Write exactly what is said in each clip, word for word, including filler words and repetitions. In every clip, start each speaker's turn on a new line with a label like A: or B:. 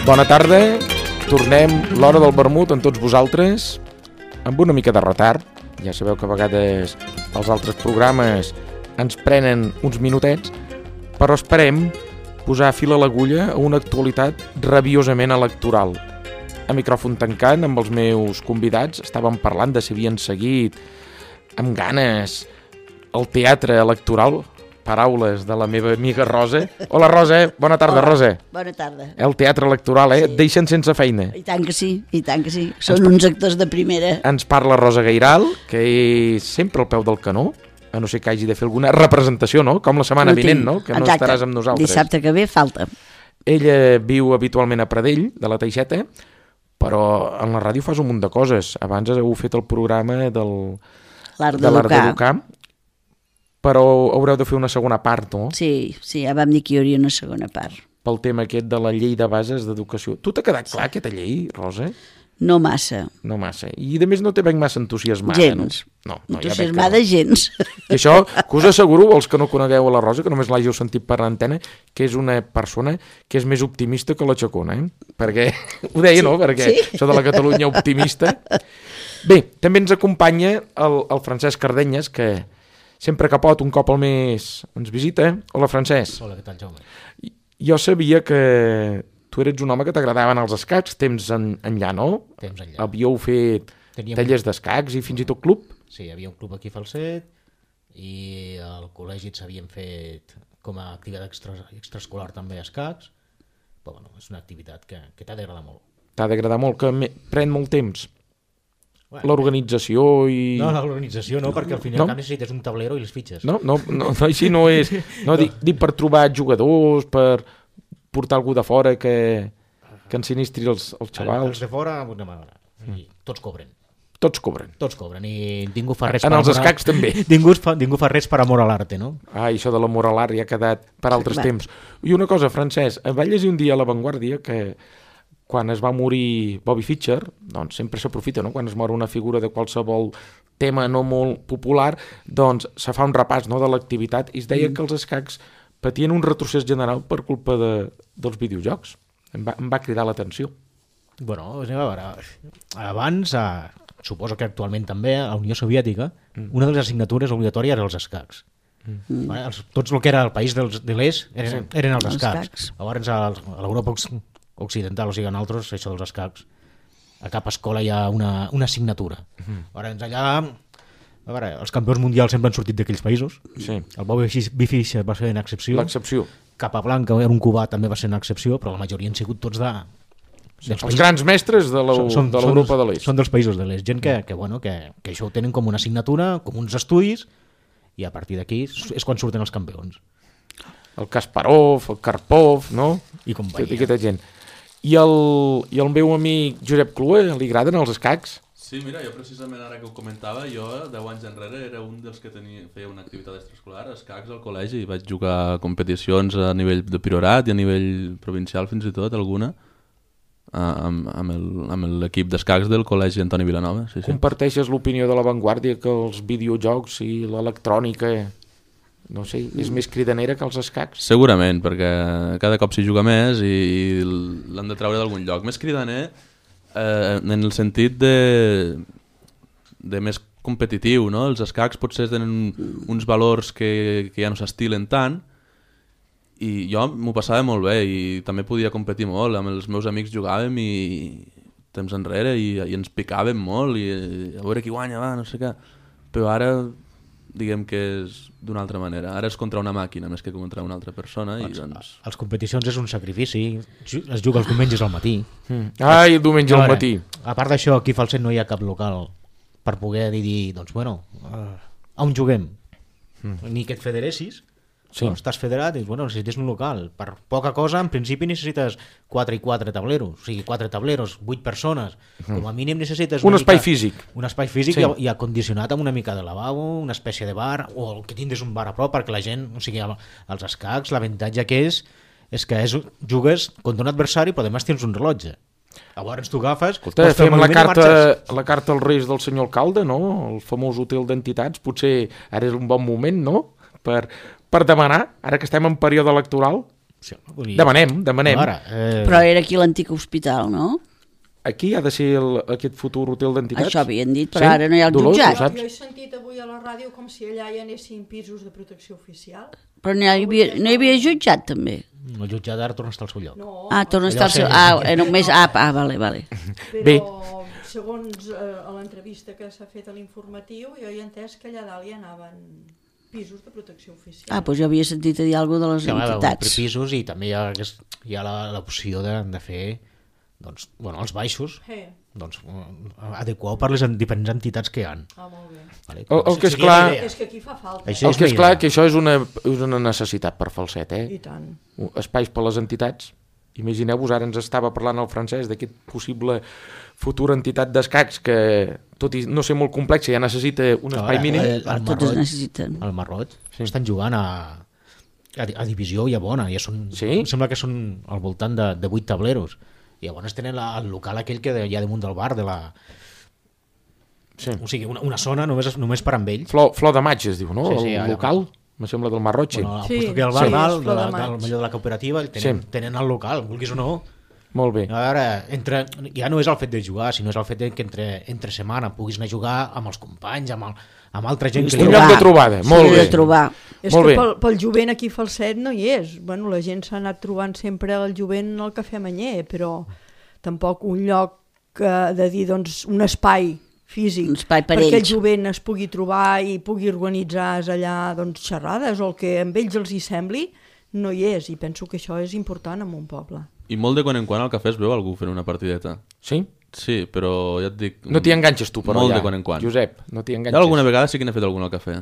A: Bona tarda, tornem l'hora del vermut amb tots vosaltres, amb una mica de retard. Ja sabeu que a vegades els altres programes ens prenen uns minutets, però esperem posar fil a l'agulla a una actualitat rabiosament electoral. A micròfon tancant, amb els meus convidats, estàvem parlant de si havien seguit amb ganes el teatre electoral. Paraules de la meva amiga Rosa. Hola, Rosa. Bona tarda, Hola. Rosa.
B: Bona tarda.
A: El teatre electoral, eh? Sí. Et deixen sense feina.
B: I tant que sí, i tant que sí. Són ens uns actors de primera.
A: Ens parla Rosa Gairal, que és sempre al peu del canó, a no ser que hagi de fer alguna representació, no? Com la setmana no vinent, no? Que no Exacte. Estaràs amb nosaltres.
B: Dissabte que ve falta.
A: Ella viu habitualment a Pradell, de la Teixeta, però en la ràdio fas un munt de coses. Abans heu fet el programa del...
B: L'art de
A: d'educar. Però haureu de fer una segona part, no?
B: Sí, sí, ja vam dir que hi hauria una segona part.
A: Pel tema aquest de la llei de bases d'educació. Tu t'ha quedat clar, aquesta llei, Rosa?
B: No massa.
A: No massa. I a més no te veig massa entusiasmada,
B: gens.
A: no? No, no
B: entusiasmada ja no. gens.
A: I això, que us asseguro, els que no conegueu a la Rosa, que només l'hàgiu sentit per l'antena, que és una persona que és més optimista que la Chacona, eh? Perquè, ho deia, sí, no? Perquè sí. Això de la Catalunya optimista... Bé, també ens acompanya el, el Francesc Cardenyes, que sempre que pot, un cop al mes, ens visita. Hola, Francesc.
C: Hola, què tal, Jaume?
A: Jo sabia que tu eres un home que t'agradaven els escacs, temps en, enllà, no?
C: Temps enllà.
A: Havíeu fet Teníem... tallers d'escacs i fins i tot club?
C: Sí, hi havia un club aquí a Falset i al col·legi s'havien fet com a activitat extra, extraescolar també escacs, però bueno, és una activitat que, que t'ha d'agradar molt.
A: T'ha d'agradar molt, que me... pren molt temps. Bueno, l'organització i...
C: No, l'organització no, no perquè al final no? necessites un tablero i les fitxes.
A: No, no, no, no així no és. No, dic, dic per trobar jugadors, per portar algú de fora que, que ensinistri els, els xavals.
C: Els de fora, una manera. Mm. Tots cobren.
A: Tots cobren.
C: Tots cobren i ningú fa res
A: en
C: per
A: els
C: amor a...
A: escacs també.
C: Ningú fa, ningú fa res per amor a l'arte, no?
A: Ah, això de l'amor a l'art ja ha quedat per altres sí, temps. I una cosa, Francesc, vaig llegir un dia a La Vanguardia que quan es va morir Bobby Fischer, doncs sempre s'aprofita, no? Quan es mor una figura de qualsevol tema no molt popular, doncs se fa un repàs, no?, de l'activitat i es deia mm. que els escacs patien un retrocés general per culpa de, dels videojocs. Em va, em va cridar l'atenció.
C: Bueno, a veure, abans, a, suposo que actualment també, a la Unió Soviètica, mm. una de les assignatures obligatòries era els escacs. Mm. Vale? Els, tots el que era el país dels, de l'est eren, sí. eren els escacs. escacs. Llavors, a, a l'Europa occidental, o sigui, en altres, això dels escacs, a cap escola hi ha una, una assignatura. Uh-huh. Llavors, allà, a veure, els campions mundials sempre han sortit d'aquells països. Sí. El Bobby Fischer va ser una excepció.
A: L'excepció.
C: Capablanca, era un cubà, també va ser una excepció, però la majoria han sigut tots de...
A: Sí, els països, grans mestres de l'Europa de l'Est.
C: Són dels països de l'Est. Gent que, que, bueno, que, que això ho tenen com una assignatura, com uns estudis, i a partir d'aquí és quan surten els campions.
A: El Kasparov, el Karpov, no?
C: I companyia.
A: Tota aquesta gent. I el, I el meu amic Josep Clua, li agraden els escacs?
D: Sí, mira, jo precisament ara que ho comentava, jo deu anys enrere era un dels que tenia, feia una activitat extraescolar, escacs al col·legi, i vaig jugar a competicions a nivell de priorat i a nivell provincial fins i tot, alguna, amb, amb l'equip d'escacs del col·legi Antoni Vilanova. Sí, sí.
A: Comparteixes l'opinió de La Vanguardia que els videojocs i l'electrònica... no sé, és més cridanera que els escacs?
D: Segurament, perquè cada cop s'hi juga més i, i l'han de treure d'algun lloc. Més cridaner eh, en el sentit de, de més competitiu, no? Els escacs potser tenen uns valors que, que ja no s'estilen tant i jo m'ho passava molt bé i també podia competir molt. Amb els meus amics jugàvem i temps enrere i, i ens picàvem molt i a veure qui guanya, va, no sé què. Però ara... diguem que és d'una altra manera. Ara és contra una màquina més que contra una altra persona. I doncs...
C: Les competicions és un sacrifici. Es juga els diumenges al matí.
A: Mm. Ai, el diumenge al matí.
C: A part d'això, aquí a Falset no hi ha cap local per poder dir, doncs, bueno, on juguem? Mm. Ni que et federessis. Sí. No, estàs federat i bueno, necessites un local. Per poca cosa, en principi necessites quatre i quatre tableros, o sigui, quatre tableros, vuit persones. Mm. Com a mínim necessites...
A: Un espai
C: mica,
A: físic.
C: Un espai físic sí. i, i acondicionat amb una mica de lavabo, una espècie de bar, o que tinguis un bar a prop perquè la gent... O sigui, els escacs, l'avantatge que és és que és, jugues contra un adversari però además tens un rellotge. Llavors tu agafes...
A: Escolta, fem la carta, la carta als Reis del senyor alcalde, no? El famós hotel d'entitats. Potser ara és un bon moment, no? Per... per demanar, ara que estem en període electoral.
C: Sí, vull dir,
A: Demanem, demanem.
C: Ara, eh,
B: Però era aquí l'antic hospital, no?
A: Aquí ha de ser el, aquest futur hotel d'entitats?
B: Això havien dit, però
A: Sí?
B: ara no hi ha el
A: Dolors,
B: jutjat.
A: ho saps?
E: Jo he sentit avui a la ràdio com si allà hi anessin pisos de protecció oficial.
B: Però no hi havia, no hi havia jutjat, també.
C: el jutjat ara torna a estar al seu lloc.
E: No,
B: Ah, torna a
C: Allò
B: estar al seu...
C: sí.
B: Ah, eh, només... Ah, ah, vale, vale.
E: però
A: Bé.
E: segons eh, a l'entrevista que s'ha fet a l'informatiu, jo he entès que allà dalt hi anaven pisos de protecció oficial.
B: Ah, doncs jo havia sentit a dir alguna cosa de les
C: Sí, home,
B: entitats.
C: per pisos i també hi ha, aquest- hi ha la- l'opció de, de fer doncs, bueno, els baixos
E: Eh,
C: doncs, adequar per les en- diferents entitats que hi ha.
E: ah, molt bé.
C: Vale?
A: El- el que és
C: Seria
A: clar-
C: la idea.
E: És que aquí fa falta.
C: Això
A: El
C: és
A: que
C: la
A: és clar
C: idea.
A: que això és una, és una necessitat per Falset, eh?
E: I tant.
A: Espais per les entitats. Imagineu-vos, ara ens estava parlant el francès d'aquest possible futura entitat d'escacs que, tot i no ser molt complexa, ja necessita un espai
C: Ara,
A: mínim.
C: el- el
B: Totes
C: Marroig-
B: necessiten.
C: Al Marroig
A: Sí.
C: estan jugant a, a, a divisió ja bona, ja són,
A: Sí?
C: em sembla que són al voltant de, de vuit tableros. I llavors tenen la, el local aquell que hi ha damunt del bar, de la,
A: Sí.
C: o sigui, una, una zona només, només per amb ells.
A: Flor, Flor de Maig es diu, no?
C: Sí, sí,
A: el
C: allà.
A: local, me sembla del Marroig, sí.
C: Bueno, al
E: Sí,
C: sí, que al
E: sí,
C: bar
E: és
C: dalt,
E: Flor
C: de
E: de
C: la,
E: Maig.
C: del millor de la cooperativa, tenen,
A: Sí.
C: tenen el local, vulguis o no.
A: Molt bé.
C: A veure, entre, ja no és el fet de jugar, sinó és el fet de que entre, entre setmana puguis anar a jugar amb els companys, amb, el, amb altra gent.
B: Puguis
C: Que
A: Un
C: li
A: lloc
B: trobar.
A: de trobada,
B: Sí,
A: molt bé.
B: de trobar.
E: És
A: Molt
E: que
A: bé.
E: pel, pel jovent aquí a Falset no hi és. Bueno, la gent s'ha anat trobant sempre el jovent al Cafè Manyer, però tampoc un lloc eh, de dir, doncs, un espai físic
B: Un espai per
E: perquè el
B: ells.
E: jovent es pugui trobar i pugui organitzar allà doncs, xerrades o el que amb ells els hi sembli, no hi és, i penso que això és important en un poble.
D: I molt de quan en quan al cafè es veu algú fent una partideta.
A: Sí?
D: Sí, però ja et dic...
A: No t'hi enganxes tu, però
D: Molt
A: ja.
D: de quan en quan.
A: Josep, no t'hi
D: Jo
A: enganxes.
D: alguna vegada sí que n'he fet algun al cafè.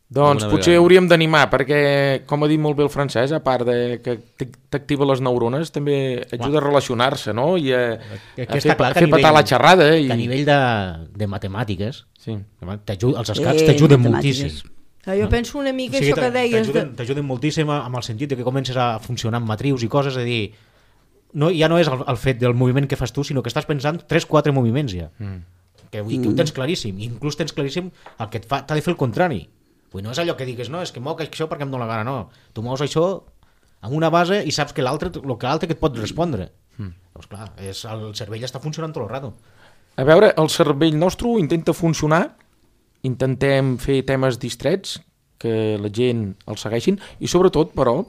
A: Doncs
D: alguna
A: potser
D: vegada.
A: hauríem d'animar, perquè, com ha dit molt bé el francès, a part de que t- t'activa les neurones, també ajuda a relacionar-se, no? I a,
C: Que- que
A: a
C: està
A: fer,
C: clar
A: a
C: que a
A: fer petar
C: nivell-
A: la xerrada. I...
C: Que a nivell de, de matemàtiques,
A: Sí.
C: t'ajuda- els escacs
B: Eh,
C: t'ajuden
B: matemàtiques.
C: moltíssim.
E: Ah, jo penso una mica
C: O sigui,
E: això que deies...
C: t'ajuden
E: De...
C: t'ajuden moltíssim amb el sentit de que comences a funcionar amb matrius i coses, a dir, no, ja no és el, el fet del moviment que fas tu, sinó que estàs pensant tres quatre moviments ja.
A: Mm.
C: Que, vull dir, que ho tens claríssim, i inclús tens claríssim el que et fa, t'ha de fer el contrari. Vull dir, no és allò que digues, no, és que moc això perquè em dóna la gana, no. Tu mous això amb una base i saps que l'altre, el que l'altre que et pot respondre. Mm. Doncs clar, és, el cervell està funcionant tot el rato.
A: A veure, el cervell nostre intenta funcionar, intentem fer temes distrets, que la gent els segueixin, i sobretot, però,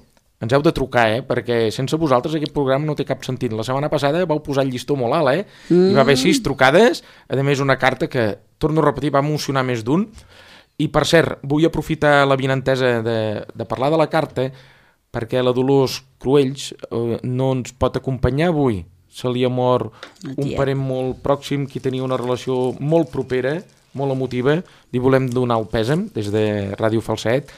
A: ens heu de trucar, eh? Perquè sense vosaltres aquest programa no té cap sentit. La setmana passada vau posar el llistó molt alt, eh? Mm. Hi va haver sis trucades, a més una carta que, torno a repetir, va emocionar més d'un. I, per cert, vull aprofitar la vinentesa de, de parlar de la carta perquè la Dolors Cruells eh, no ens pot acompanyar avui. Se li ha mort
B: La
A: un
B: tia.
A: parent molt pròxim que tenia una relació molt propera, molt emotiva. Li volem donar el pèsam des de Ràdio Falset.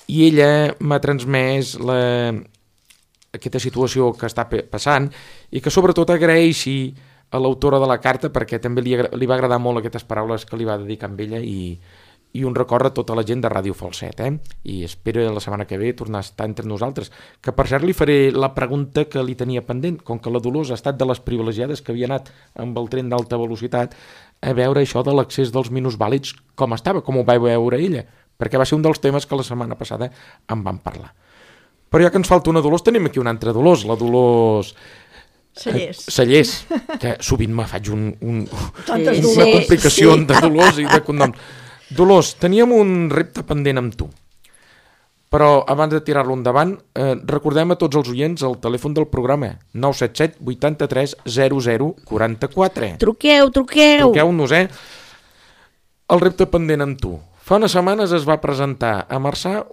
A: I ella m'ha transmès la, aquesta situació que està pe- passant i que sobretot agraeixi a l'autora de la carta perquè també li, agra- li va agradar molt aquestes paraules que li va dedicar amb ella i, i un record a tota la gent de Ràdio Falset, eh? I espero la setmana que ve tornar a estar entre nosaltres. Que per cert li faré la pregunta que li tenia pendent, com que la Dolors ha estat de les privilegiades que havia anat amb el tren d'alta velocitat a veure això de l'accés dels minusvàlids com estava, com ho va veure ella, perquè va ser un dels temes que la setmana passada en van parlar. Però ja que ens falta una Dolors, tenim aquí una altra Dolors, la Dolors...
E: Cellers.
A: Eh, Cellers, que sovint me faig un, un,
E: Tantes
B: Sí,
A: una
E: Dolors.
A: complicació
B: sí.
A: de Dolors i de cognoms. Dolors, teníem un repte pendent amb tu, però abans de tirar-lo endavant, eh, recordem a tots els oients el telèfon del programa, nou set set vuitanta-tres zero zero quaranta-quatre.
B: Truqueu, truqueu.
A: Truqueu-nos, eh? El repte pendent amb tu. Fa unes setmanes es va presentar a Marçà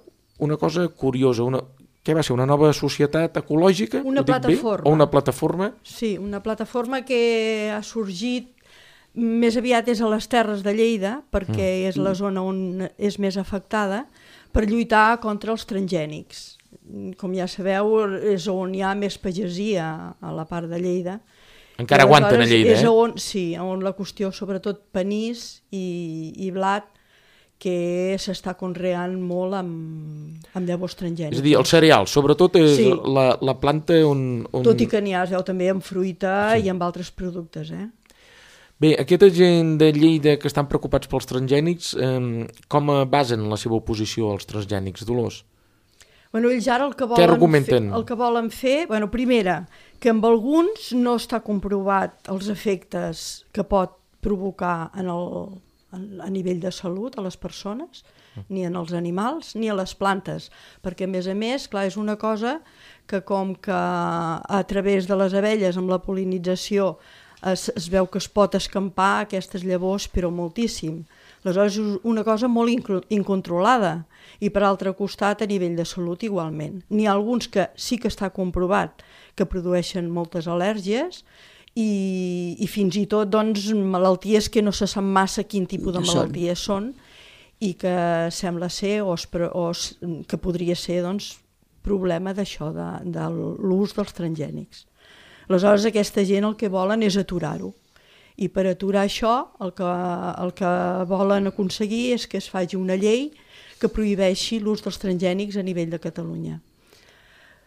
A: una cosa curiosa, una... què va ser, una nova societat ecològica?
E: Una
A: Ho dic bé?
E: plataforma.
A: O una plataforma?
E: Sí, una plataforma que ha sorgit més aviat és a les Terres de Lleida, perquè
A: Mm.
E: és la zona on és més afectada, per lluitar contra els transgènics. Com ja sabeu, és on hi ha més pagesia a la part de Lleida.
A: Encara
E: I
A: aguanten a
E: aleshores
A: Lleida,
E: és
A: eh?
E: on, sí, on la qüestió, sobretot panís i, i blat, que s'està conreant molt amb, amb llavors transgènics.
A: És a dir, el cereal, sobretot és
E: Sí.
A: la, la planta on... on...
E: Tot i que n'hi ha, es veu també amb fruita sí. i amb altres productes, eh?
A: Bé, aquesta gent de Lleida que estan preocupats pels transgènics, eh, com basen la seva oposició als transgènics, Dolors?
E: Bueno, ells ara el que
A: Què
E: volen fer,
A: argumenten?
E: el que volen fer, bueno, primera, que amb alguns no està comprovat els efectes que pot provocar en el, en, a nivell de salut a les persones, ni en els animals, ni a les plantes, perquè a més a més, clar, és una cosa que com que a través de les abelles amb la pol·linització es, es veu que es pot escampar aquestes llavors, però moltíssim. Aleshores és una cosa molt incontrolada i per altre costat a nivell de salut igualment. N'hi ha alguns que sí que està comprovat que produeixen moltes al·lèrgies i, i fins i tot doncs, malalties que no se sap massa quin tipus de malalties són i que sembla ser o, es, o es, que podria ser doncs, problema d'això, de, de l'ús dels transgènics. Aleshores aquesta gent el que volen és aturar-ho. I per aturar això el que, el que volen aconseguir és que es faci una llei que prohibeixi l'ús dels transgènics a nivell de Catalunya.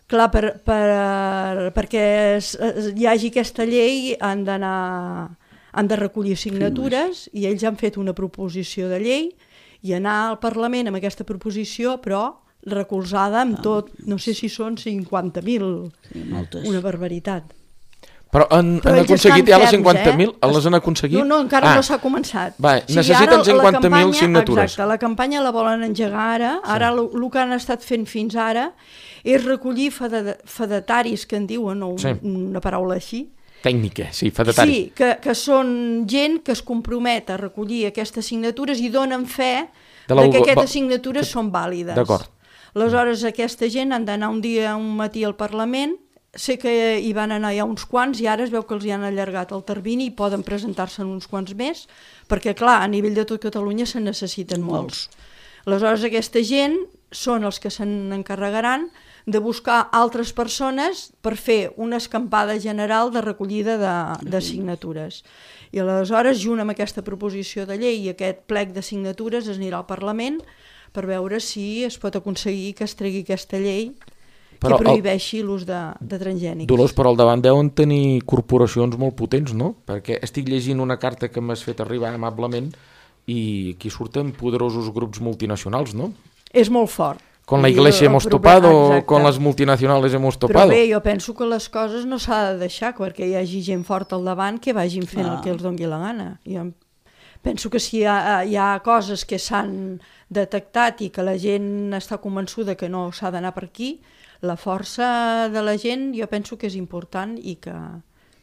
E: Clar, per, per, perquè es, es, hi hagi aquesta llei han d'anar han de recollir signatures i ells han fet una proposició de llei i anar al Parlament amb aquesta proposició, però recolzada amb tot, no sé si són cinquanta mil,
B: Sí, moltes.
E: una barbaritat.
A: Però han,
E: Però
A: han
E: ells
A: aconseguit
E: estan
A: ja les
E: ferms,
A: cinquanta mil?
E: eh?
A: Les han aconseguit?
E: No, no, encara
A: ah.
E: no s'ha començat.
A: Va, necessiten
E: ara la
A: cinquanta mil
E: campanya-
A: signatures.
E: Exacte, la campanya la volen engegar ara. Ara el sí. que han estat fent fins ara és recollir fede, fedataris, que en diuen, o un,
A: Sí.
E: una paraula així.
A: Tècnica, sí, fedatari.
E: Sí, que, que són gent que es compromet a recollir aquestes signatures i donen fe
A: De
E: de,
A: la-
E: que
A: va-
E: aquestes signatures són vàlides.
A: D'acord.
E: Aleshores, aquesta gent han d'anar un dia, un matí al Parlament. Sé que hi van anar ja uns quants i ara es veu que els hi han allargat el termini i poden presentar-se en uns quants més, perquè, clar, a nivell de tot Catalunya se'n necessiten molts. Aleshores, aquesta gent són els que se n'encarregaran de buscar altres persones per fer una escampada general de recollida de, de signatures. I aleshores, junt amb aquesta proposició de llei i aquest plec de signatures, es anirà al Parlament per veure si es pot aconseguir que es tregui aquesta llei
A: Però
E: que prohibeixi el... l'ús de, de transgènics.
A: Dolors, però al davant deuen tenir corporacions molt potents, no? Perquè estic llegint una carta que m'has fet arribar amablement i aquí surten poderosos grups multinacionals, no?
E: És molt fort.
A: Con la
E: I
A: iglesia
E: el
A: hemos
E: problema-
A: topado,
E: exacte.
A: con las multinacionales hemos
E: Però
A: topado.
E: bé, jo penso que les coses no s'ha de deixar perquè hi hagi gent forta al davant que vagin fent
B: Ah.
E: el que els doni la gana. Jo penso que si hi ha, hi ha coses que s'han detectat i que la gent està convençuda que no s'ha d'anar per aquí, la força de la gent jo penso que és important i que,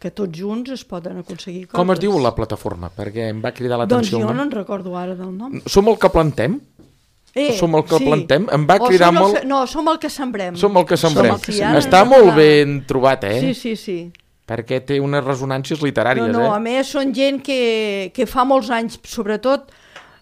E: que tots junts es poden aconseguir coses.
A: Com es diu la plataforma? Perquè em va cridar
E: Doncs
A: l'atenció.
E: jo
A: el
E: no
A: nom.
E: en recordo ara del nom.
A: Som el que plantem?
E: Eh,
A: Som el que plantem? Em va
E: O
A: cridar
E: som el
A: molt-
E: se- No, som el que sembrem.
A: Som el que sembrem.
E: Som el que ja
A: Està
E: ens
A: molt
E: agrada.
A: ben trobat, eh?
E: Sí, sí, sí.
A: Perquè té unes resonàncies literàries,
E: No, no, a
A: eh?
E: més són gent que, que fa molts anys, sobretot,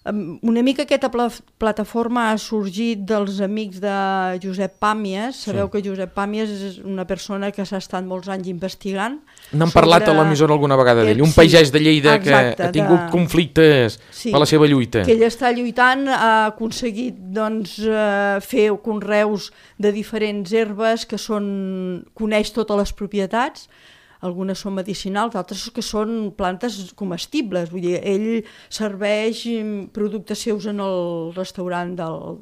E: em, una mica aquesta pla plataforma ha sorgit dels amics de Josep Pàmies. Sabeu
A: Sí.
E: que Josep Pàmies és una persona que s'ha estat molts anys investigant.
A: N'han
E: sobre-
A: parlat a l'emissora alguna vegada d'ell. Un
E: Sí,
A: pagès de Lleida
E: exacte,
A: que ha tingut
E: de-
A: conflictes
E: Sí,
A: per la seva lluita.
E: que ell està lluitant, ha aconseguit doncs, eh, fer conreus de diferents herbes que són, coneix totes les propietats, algunes són medicinals, d'altres que són plantes comestibles. Vull dir, ell serveix mm, productes seus en el restaurant del,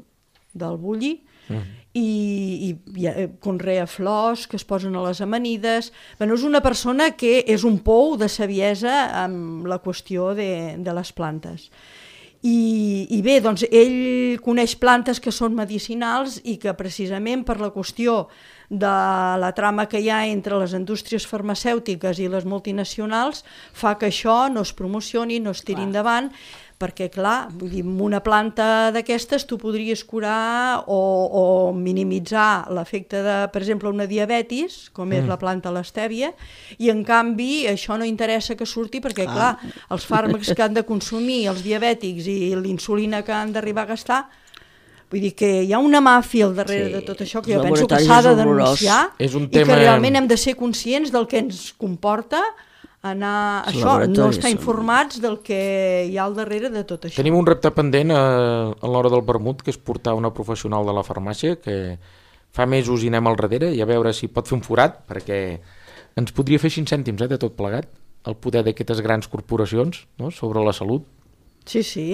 E: del Bulli mm. i, i, i eh, conrea flors que es posen a les amanides. Bueno, és una persona que és un pou de saviesa amb la qüestió de, de les plantes. I, I bé, doncs ell coneix plantes que són medicinals i que precisament per la qüestió de la trama que hi ha entre les indústries farmacèutiques i les multinacionals fa que això no es promocioni, no es tiri
B: Clar.
E: endavant, perquè clar, vull dir, amb una planta d'aquestes tu podries curar o, o minimitzar l'efecte de, per exemple, una diabetis, com és
A: Mm.
E: la planta l'estèvia, i en canvi això no interessa que surti perquè, clar, els fàrmacs que han de consumir els diabètics i l'insulina que han d'arribar a gastar, vull dir que hi ha una màfia al darrere
B: Sí,
E: de tot això que
B: els
E: jo penso que
B: laboratoris
E: s'ha de
B: és horrorós.
E: denunciar
A: És un
E: i
A: tema-
E: que realment hem de ser conscients del que ens comporta anar
B: Els
E: això, no
B: laboratoris
E: estar
B: són-
E: informats del que hi ha al darrere de tot això.
A: Tenim un repte pendent a, a l'hora del vermut, que és portar una professional de la farmàcia, que fa mesos hi anem al darrere, i a veure si pot fer un forat, perquè ens podria fer cinc cèntims eh, de tot plegat, el poder d'aquestes grans corporacions, no?, sobre la salut.
E: Sí, sí.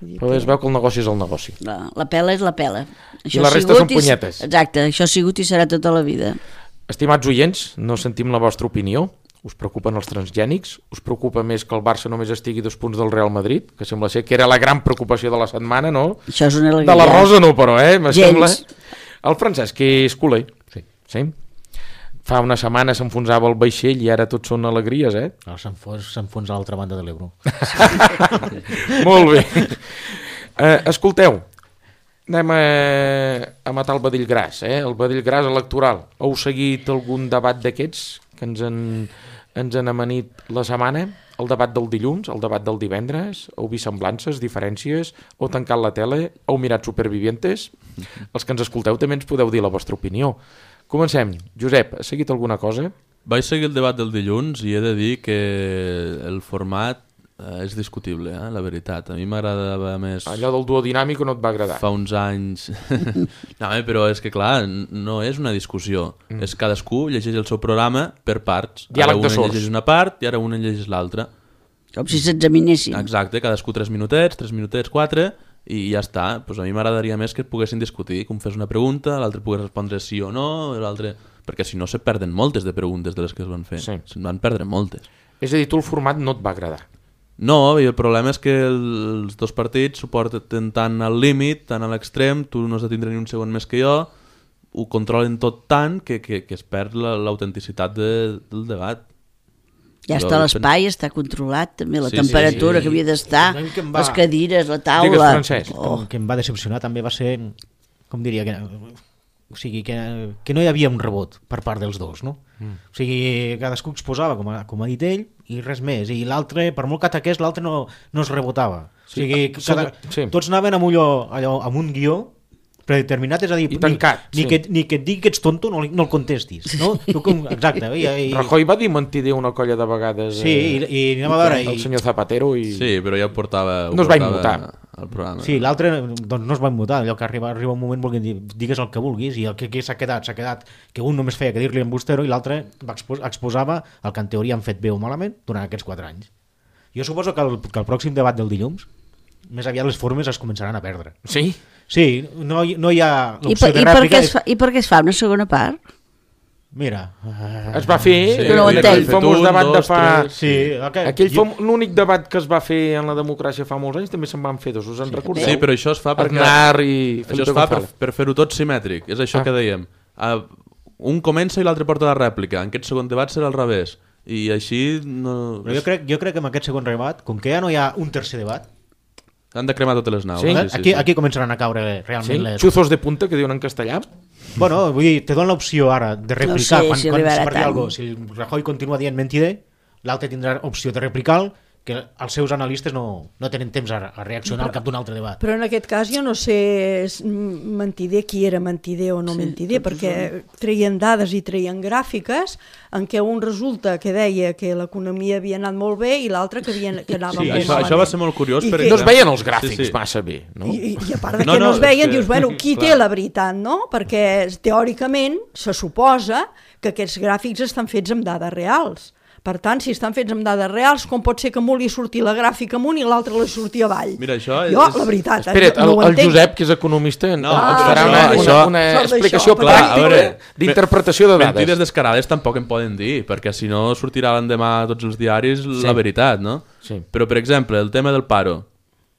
E: Vull dir
A: Però es veu que el negoci és el negoci.
B: La, la pela és la pela.
A: I la
B: ha
A: resta
B: sigut
A: són punyetes.
B: I, exacte, això ha sigut i serà tota la vida.
A: Estimats oients, no sentim la vostra opinió. Us preocupen els transgènics? Us preocupa més que el Barça només estigui dos punts del Real Madrid? Que sembla ser que era la gran preocupació de la setmana, no?
B: Això és una alegria.
A: De la Rosa no, però, eh? Me
B: Gens.
A: sembla... El Francesc és culer.
C: Sí.
A: Sí? Fa una setmana s'enfonsava el vaixell i ara tot són alegries, eh?
C: Ara s'enfons, s'enfonsa a l'altra banda de l'Ebro.
A: Molt bé. Uh, escolteu, anem a, a matar el vedell gras, eh? El vedell gras electoral. Heu seguit algun debat d'aquests que ens han, ens han amanit la setmana? El debat del dilluns, el debat del divendres? Heu vist semblances, diferències? Heu tancat la tele? Heu mirat Supervivientes? Els que ens escolteu també ens podeu dir la vostra opinió. Comencem. Josep, has seguit alguna cosa?
D: Vaig seguir el debat del dilluns i he de dir que el format eh, és discutible, eh, la veritat. A mi m'agradava més...
A: Allò del duodinàmic no et va agradar?
D: Fa uns anys... no, eh, però és que clar, no és una discussió. Mm. És cadascú llegeix el seu programa per parts.
A: Diàleg
D: ara
A: de
D: un
A: sords.
D: llegeix una part i ara un llegeix l'altra.
B: Com si s'examinessin.
D: Exacte, cadascú tres minutets, tres minutets, quatre, i ja està. Pues a mi m'agradaria més que poguessin discutir, com fes una pregunta, l'altre pogués respondre sí o no, l'altre... perquè si no se perden moltes de preguntes de les que es van fer.
A: Sí.
D: Se'n van perdre moltes.
A: És a dir, tu el format no et va agradar?
D: No, i el problema és que els dos partits s'ho porten tant al límit, tant a l'extrem, tu no has de tindre ni un segon més que jo, ho controlen tot tant que, que, que es perd la- l'autenticitat de, del debat.
B: Ja
D: Jo
B: està
D: pen-
B: l'espai, està controlat també, la
D: Sí, sí,
B: temperatura
D: sí.
B: que havia d'estar,
C: El que em va-
B: les cadires, la
A: Digues,
B: taula...
A: Francesc.
B: Oh.
C: El que em va decepcionar també va ser, com diria, que, o sigui, que, que no hi havia un rebot per part dels dos, no? Mm. O sigui, cadascú exposava, com ha, com ha dit ell, i res més, i l'altre, per molt que ataqués, l'altre no, no es rebotava. O sigui,
A: Sí,
C: cada,
A: sí.
C: tots anaven amb, allò, allò, amb un guió predeterminat, és a dir,
A: I tancat,
C: ni, ni,
A: sí.
C: que, ni que et digui que ets tonto no, li- no el contestis, no? Tu com, exacte. I, i,
A: Rajoy va dir mentider una colla de vegades
C: sí, i,
A: eh,
C: i anem a veure...
A: el
C: I,
A: senyor Zapatero i...
D: Sí, però ja ho portava, ho
A: No es va
D: portava
A: immutar.
D: al programa.
C: Sí, l'altre doncs no es va immutar, allò que arriba, arriba un moment volguent dir, digues el que vulguis, i el que, que s'ha quedat, s'ha quedat que un només feia que dir-li embustero i l'altre va expos, exposava el que en teoria han fet bé o malament durant aquests quatre anys. Jo suposo que el, que el pròxim debat del dilluns més aviat les formes es començaran a perdre.
A: Sí?
C: Sí, no, hi- no hi ha
B: I
C: l'opció
B: per,
C: de
B: i, per
C: rèplica.
B: què es fa, I per què es fa una segona part?
C: Mira, uh,
A: Es va fer
D: Sí,
B: no ho
A: aquell
B: entenc.
A: famós
D: Un,
A: debat de
D: dos,
A: fa...
D: tres.
C: sí, okay.
A: Aquell
C: jo,
A: fam... l'únic debat que es va fer en la democràcia fa molts anys també se'n van fer dos, us en recordeu?
D: Sí, però això es fa perquè...
A: Aznar i
D: Això
A: Felipe
D: es fa per,
A: González.
D: per fer-ho tot simètric, és això
A: Ah.
D: que dèiem. Uh, un comença i l'altre porta la rèplica, en aquest segon debat serà al revés. I així no...
C: però jo, crec, jo crec que amb aquest segon debat, com que ja no hi ha un tercer debat,
D: Han de cremar totes les naus.
A: Sí?
D: Sí,
C: eh,
D: sí,
C: aquí,
D: sí.
C: aquí començaran a caure realment
A: Sí?
C: les...
A: Chuzos de punta, que diuen en castellà.
C: Bueno, vull dir, te donen l'opció ara de replicar
B: sé
C: quan,
B: si
C: quan
B: arribarà
C: per dir
B: tant.
C: alguna cosa. Si el Rajoy continua dient mentider, l'altre tindrà opció de replicar, que els seus analistes no, no tenen temps a, a reaccionar al cap d'un altre debat.
E: Però en aquest cas jo no sé s- m- mentider qui era mentider o no
B: Sí,
E: mentider,
B: tots
E: perquè treien dades i treien gràfiques en què un resulta que deia que l'economia havia anat molt bé i l'altre que, havia, que anava
D: Sí,
E: molt
D: això,
E: malament.
D: això va ser molt curiós.
E: I
D: perquè...
E: que-
A: No es veien els gràfics
D: Sí, sí.
A: massa bé, no?
E: I, I a part de que
D: No,
E: no,
D: no,
E: es veien,
D: és que-
E: dius, bueno, qui
D: clar.
E: té la veritat, no? Perquè teòricament se suposa que aquests gràfics estan fets amb dades reals. Per tant, si estan fets amb dades reals, com pot ser que a un li surti la gràfica amunt i l'altre li surti avall?
D: Mira, això és...
E: Jo, la veritat,
A: Espera't,
E: no
A: el,
E: ho
A: el
E: entenc.
A: Josep, que és economista,
D: No,
A: no, ens
E: ah,
A: farà
E: això-
A: una, una,
D: això-
A: una
E: això d'això,
A: explicació
E: però-
D: Clar, a
A: pràctica
D: veure,
A: d'interpretació de dades.
D: Mentides descarades tampoc en poden dir, perquè si no sortirà l'endemà a tots els diaris
A: Sí.
D: la veritat, no?
A: Sí.
D: Però, per exemple, el tema del paro.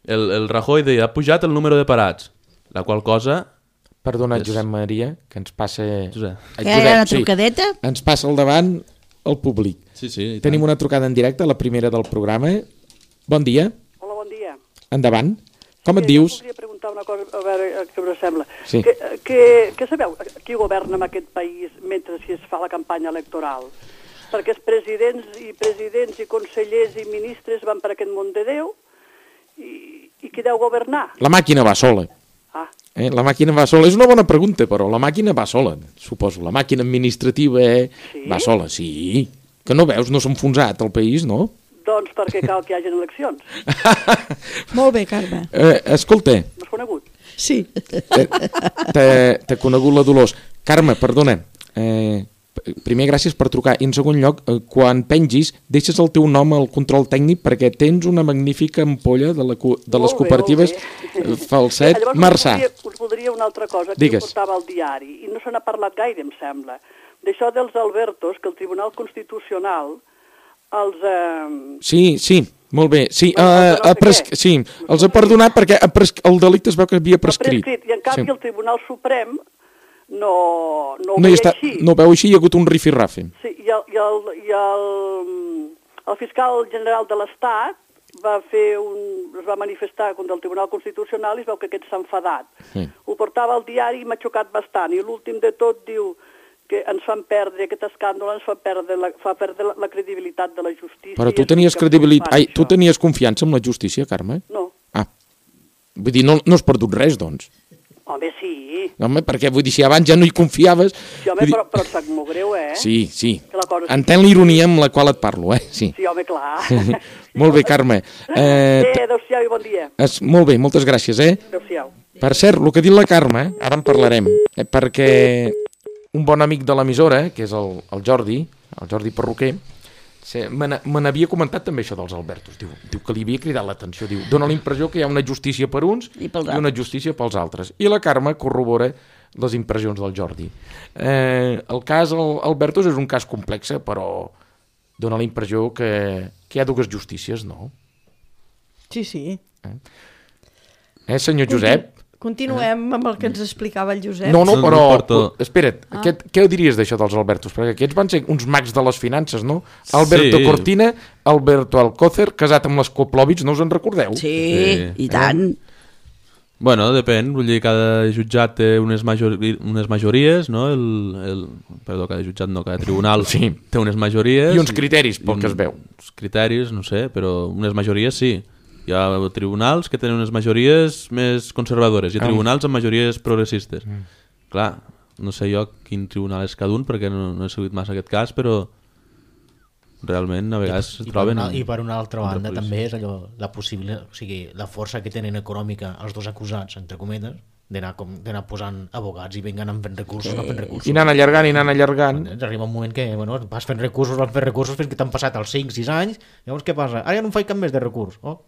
D: El, el Rajoy deia, ha pujat el número de parats, la qual cosa...
A: Perdona,
D: És-
A: Josep Maria, que ens passa...
D: Josep.
A: Eh,
B: Que hi ha una
A: sí,
B: trucadeta?
A: ens passa al davant el públic.
D: Sí, sí. i
A: Tenim
D: tant.
A: una trucada en directe, la primera del programa. Bon dia,
F: Hola, bon dia.
A: endavant. Com et
F: Sí,
A: dius?
F: Jo voldria preguntar una cosa, a veure eh, què us sembla.
A: Sí.
F: Que, que, que sabeu qui governa en aquest país mentre si es fa la campanya electoral? Perquè els presidents i presidents i consellers i ministres van per aquest món de Déu i, i qui deu governar?
A: La màquina va sola.
F: Ah,
A: Eh? La màquina va sola. És una bona pregunta, però la màquina va sola, suposo. La màquina administrativa eh?
F: Sí?
A: va sola, sí. Que no veus, no s'ha enfonsat el país, no?
F: doncs perquè cal que hi hagi eleccions.
E: Molt bé, Carme.
A: Eh, escolta,
F: M'has conegut?
E: Sí.
A: t'he t'he conegut la Dolors. Carme, perdona, eh, primer, gràcies per trucar. I en segon lloc, eh, quan pengis, deixes el teu nom al control tècnic perquè tens una magnífica ampolla de, la, de les
F: Molt bé,
A: cooperatives
F: molt bé.
A: Falset
F: Llavors,
A: Marçà.
F: Us voldria, us voldria una altra cosa que
A: Digues.
F: jo portava al diari, i no se n'ha parlat gaire, em sembla, d'això dels Albertos, que el Tribunal Constitucional els... Eh...
A: Sí, sí, molt bé. Sí,
F: Bueno,
A: uh,
F: no sé
A: uh, pres...
F: què.
A: sí, els ha perdonat perquè ha pres... el delicte es veu que havia prescrit.
F: prescrit. I en canvi
A: Sí.
F: el Tribunal Suprem no, no ho
A: No, hi
F: veia
A: està,
F: així.
A: no ho veu així, hi ha hagut un rifirrafe.
F: Sí, i el, i el, i el, el fiscal general de l'Estat va fer un, es va manifestar contra el Tribunal Constitucional i es veu que aquest s'ha enfadat.
A: Sí.
F: Ho portava al diari i m'ha xocat bastant. I l'últim de tot diu que ens fan perdre, aquest escàndol ens fa perdre la, fa perdre la, la credibilitat de la justícia.
A: Però
F: i
A: tu
F: és
A: tenies
F: l'únic que
A: credibilitat...
F: fan,
A: Ai, tu
F: això.
A: tenies confiança en la justícia, Carme?
F: No.
A: Ah, vull dir, no, no has perdut res, doncs.
F: Home, sí.
A: No, home, perquè vull dir, si abans ja no hi confiaves...
F: Sí, home,
A: vull dir-
F: però, però et sap molt greu, eh?
A: Sí, sí.
F: Que la cosa
A: Entén l'ironia amb la qual et parlo, eh? Sí.
F: Sí, home, clar.
A: Molt bé, Carme. Eh,
F: Bé, adéu-siau i bon dia.
A: es, molt bé, moltes gràcies, eh?
F: Adéu-siau.
A: Per cert, el que ha dit la Carme, ara en parlarem, eh, perquè un bon amic de l'emissora, que és el, el Jordi, el Jordi Perruquer, se- me n'a- me n'havia comentat també això dels Albertos. Diu, diu que li havia cridat l'atenció. Diu, dona la impressió que hi ha una justícia per uns
B: I pels
A: i una justícia pels altres. I la Carme corrobora les impressions del Jordi. Eh, el cas al- Albertos és un cas complex, però dona la impressió que, que hi ha dues justícies, no?
E: Sí, sí.
A: Eh, senyor Josep?
E: Continuem amb el que ens explicava el Josep.
A: No, no,
D: No,
A: però...
D: no porto-
A: Espera't, ah. què, què diries d'això dels Albertos? Perquè aquests van ser uns mags de les finances, no? Alberto
D: Sí.
A: Cortina, Alberto Alcócer, casat amb les Koplovich, no us en recordeu?
B: Sí,
D: Sí.
B: i tant.
D: Bueno, depèn, vull dir, cada jutjat té unes, majori unes majories, no? El, el, perdó, cada jutjat no, cada tribunal
A: Sí.
D: té unes majories.
A: I uns criteris, pel
D: i
A: que es veu.
D: Uns criteris, no sé, però unes majories sí. Hi ha tribunals que tenen unes majories més conservadores i
A: Ah.
D: tribunals amb majories progressistes. Mm. Clar, no sé jo quin tribunal és cada un perquè no, no he seguit massa aquest cas, però realment a vegades
C: I,
D: es
C: per
D: troben...
C: una, I per una altra banda
D: contraposició.
C: també és allò, la possible, o sigui, la força que tenen econòmica els dos acusats, entre cometes, d'anar com d'anar posant abogats i venguen amb fent recursos, no fent recursos.
A: I anant allargant, i anant allargant.
C: Ens arriba un moment que bueno, vas fent recursos, vas fent recursos fins que t'han passat els cinc sis anys, llavors què passa? Ara ja no em faig cap més de recurs. Oh,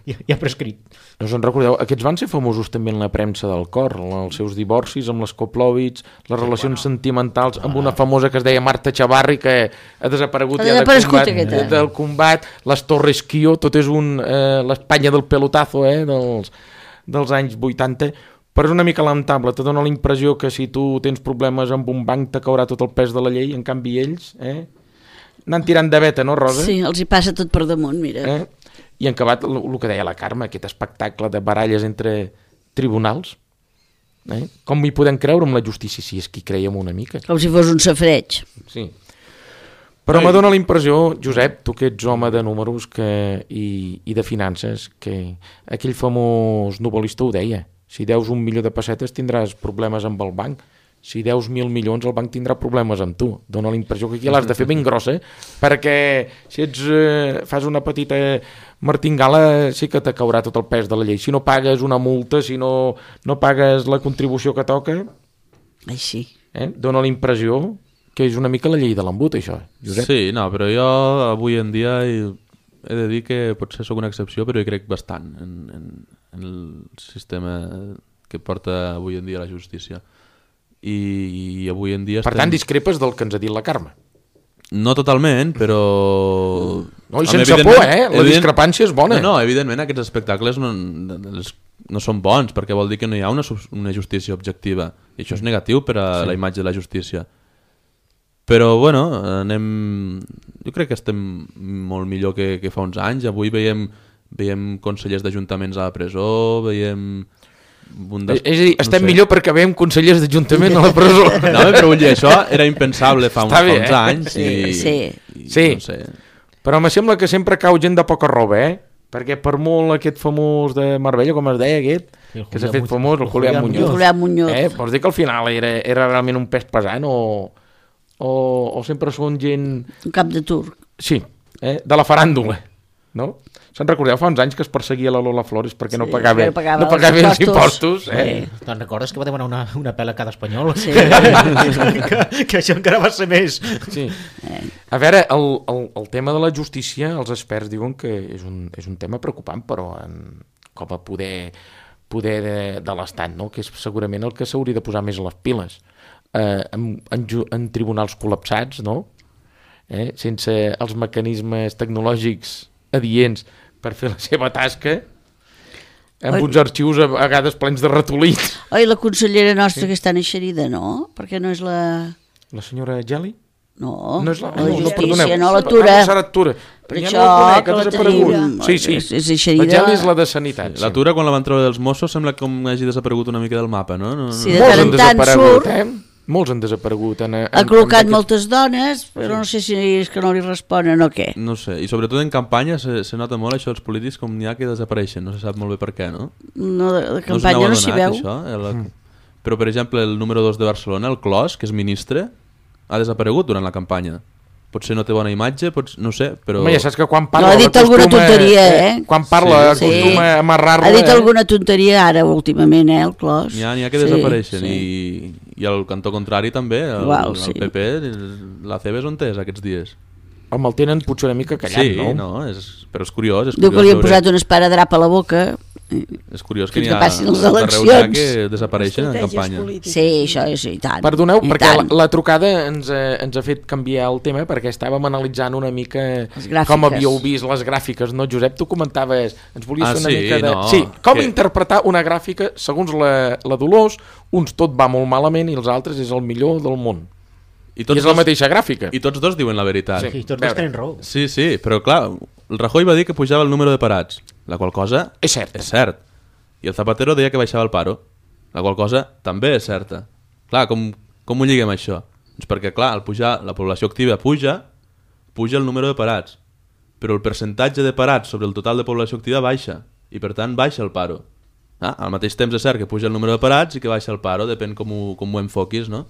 C: ja, ja prescrit.
A: No us en recordeu? Aquests van ser famosos també en la premsa del cor, els seus divorcis amb les Koplovich, les relacions sentimentals amb una famosa que es deia Marta Chavarri, que ha desaparegut,
B: Ha
A: ja del
B: desaparegut
A: combat,
B: aquesta.
A: del combat, les Torres Kio, tot és un eh, l'Espanya del pelotazo, eh, dels, dels anys vuitanta, però és una mica lamentable, te dona la impressió que si tu tens problemes amb un banc te caurà tot el pes de la llei, en canvi ells, eh, anant tirant de veta, no, Rosa?
B: Sí, els hi passa tot per damunt, mira.
A: Eh? I en acabat, el, el que deia la Carme, aquest espectacle de baralles entre tribunals, eh? Com hi podem creure amb la justícia si és qui creiem una mica?
B: Com si fos un safreig.
A: Sí. Però me dóna la impressió, Josep, tu que ets home de números que, i, i de finances, que aquell famós novel·lista ho deia, si deus un milió de pessetes tindràs problemes amb el banc, si deus mil milions el banc tindrà problemes amb tu. Dóna la impressió que aquí l'has de fer ben grossa, perquè si ets, eh, fas una petita martingala sí que te caurà tot el pes de la llei. Si no pagues una multa, si no, no pagues la contribució que toca,
B: Ai, sí.
A: eh, dóna la impressió que és una mica la llei de l'embut, això, Josep.
D: Sí, no, però jo avui en dia he, he de dir que potser sóc una excepció, però hi crec bastant en, en, en el sistema que porta avui en dia la justícia. I, i avui en dia...
A: Per tant, discrepes del que ens ha dit la Carme.
D: No totalment, però...
A: No, i
D: Home,
A: sense
D: evidentment-
A: por, eh? La
D: evident-
A: discrepància és bona.
D: No, no, evidentment aquests espectacles no, no són bons, perquè vol dir que no hi ha una, sus- una justícia objectiva. I això és negatiu per a sí. la imatge de la justícia. Però, bueno, anem... Jo crec que estem molt millor que, que fa uns anys. Avui veiem, veiem consellers d'ajuntaments a la presó, veiem... Un des...
A: És a dir, estem
D: no sé.
A: millor perquè veiem consellers d'Ajuntament a la presó.
D: No, però vull dir, això era impensable fa uns,
A: Està bé,
D: fa uns
A: eh?
D: anys. I,
B: Sí.
D: i,
A: Sí.
D: No sé.
A: Però me sembla que sempre cau gent de poca roba, eh? Perquè per molt aquest famós de Marbella, com es deia aquest,
C: El
A: que s'ha
C: Julián
A: fet
C: Muñoz.
A: famós, el
C: El
A: Julián
C: Julián
A: Muñoz.
B: Julián Muñoz.
A: Eh? Vols dir que al final era, era realment un pes pesant o, o, o sempre són gent...
B: Un cap de turc.
A: Sí, eh? De la faràndula. no? Se'n recordeu fa uns anys que es perseguia la Lola Flores perquè no
B: Sí,
A: pagava,
B: perquè no pagava
A: no pagava
B: els
A: els impostos, eh?
B: Sí.
C: Te'n recordes que va demanar una, una pela a cada espanyol?
B: Sí.
C: que, que això encara va ser més.
A: Sí. A veure, el, el, el tema de la justícia, els experts diuen que és un, és un tema preocupant, però en, com a poder, poder de, de l'Estat, no? Que és segurament el que s'hauria de posar més a les piles. Eh, en, en, en tribunals col·lapsats, no? Eh? Sense els mecanismes tecnològics adients per fer la seva tasca, amb
B: Oi.
A: uns arxius a vegades plens de ratolins.
B: Oi, la consellera nostra sí. que està eixerida, no? Perquè no és la...
A: La senyora Geli?
B: No,
A: No és la,
B: la
A: no, no,
B: justícia,
A: perdoneu.
B: no, la Tura.
A: Ah, Sara Tura.
B: Per
A: Ja
B: això
A: no la conec,
B: que
A: ha
B: la
A: desaparegut.
B: tenim.
A: Sí, sí.
B: És, és eixerida.
A: La Geli és la de Sanitat.
D: La
A: Sí.
D: Tura, quan la van treure dels Mossos, sembla com hagi desaparegut una mica del mapa, no? no, no.
B: Sí, de
A: Molts
B: tant
A: han
B: en tant
A: desaparegut,
B: surt.
A: eh? Molts han desaparegut. En, en,
B: Ha col·locat
A: en
B: moltes dones, però no sé si és que no li responen o què.
D: No sé, i sobretot en campanya se, se nota molt això dels polítics com n'hi ha que desapareixen, no se sap molt bé per què, no?
B: No, de, de
D: No us
B: campanya
D: n'heu
B: no s'hi
D: adonat,
B: veu.
D: això? El... Mm. Però, per exemple, el número dos de Barcelona, el Clos, que és ministre, ha desaparegut durant la campanya. Potser no té bona imatge, pots... no ho sé, però...
A: Home, ja saps que quan
B: No,
A: parla...
B: ha dit alguna
A: acostuma-
B: tonteria, eh?
A: Quan parla
D: Sí,
A: acostuma a amarrar-la...
B: Ha dit
A: eh?
B: alguna tonteria ara últimament, eh, el Clos.
D: N'hi ha, n'hi ha que
B: Sí,
D: desapareixen
B: sí.
D: i, i el cantó contrari també, el,
B: Igual,
D: el
B: sí.
D: P P, la C B és on és aquests dies.
A: Home, el tenen potser una mica callat,
D: Sí,
A: no?
D: no, és, però és curiós. És
B: Diu que
D: curiós
B: li han
D: veure-
B: posat un esparadrap a la boca.
D: És curiós que
B: fins
D: n'hi
B: que
D: ha
B: passin les
D: arreu n'hi ha
B: eleccions.
D: que desapareixen en
E: Estratègies
D: campanya.
E: polítiques.
B: Sí, això és, i tant.
A: Perdoneu,
B: i
A: perquè la,
B: tant.
A: la trucada ens, eh, ens ha fet canviar el tema perquè estàvem analitzant una mica
B: Les gràfiques.
A: com havíeu vist les gràfiques, no, Josep? Tu comentaves, ens volies
D: Ah,
A: fer una
D: sí,
A: mica de...
D: no,
A: sí, com
D: que-
A: interpretar una gràfica segons la, la Dolors, uns tot va molt malament i els altres és el millor del món.
D: I
A: I és la mateixa gràfica.
D: I tots dos diuen la veritat.
A: Sí.
C: I tots
A: veure.
C: dos tenen raó.
D: Sí, sí, però clar, el Rajoy va dir que pujava el número de parats, la qual cosa
A: És cert.
D: és cert. I el Zapatero deia que baixava el paro, la qual cosa també és certa. Clar, com, com ho lliguem això? Doncs perquè, clar, al pujar, la població activa puja, puja el número de parats, però el percentatge de parats sobre el total de població activa baixa, i per tant baixa el paro. Ah, al mateix temps és cert que puja el número de parats i que baixa el paro, depèn com ho, com ho enfoquis, no?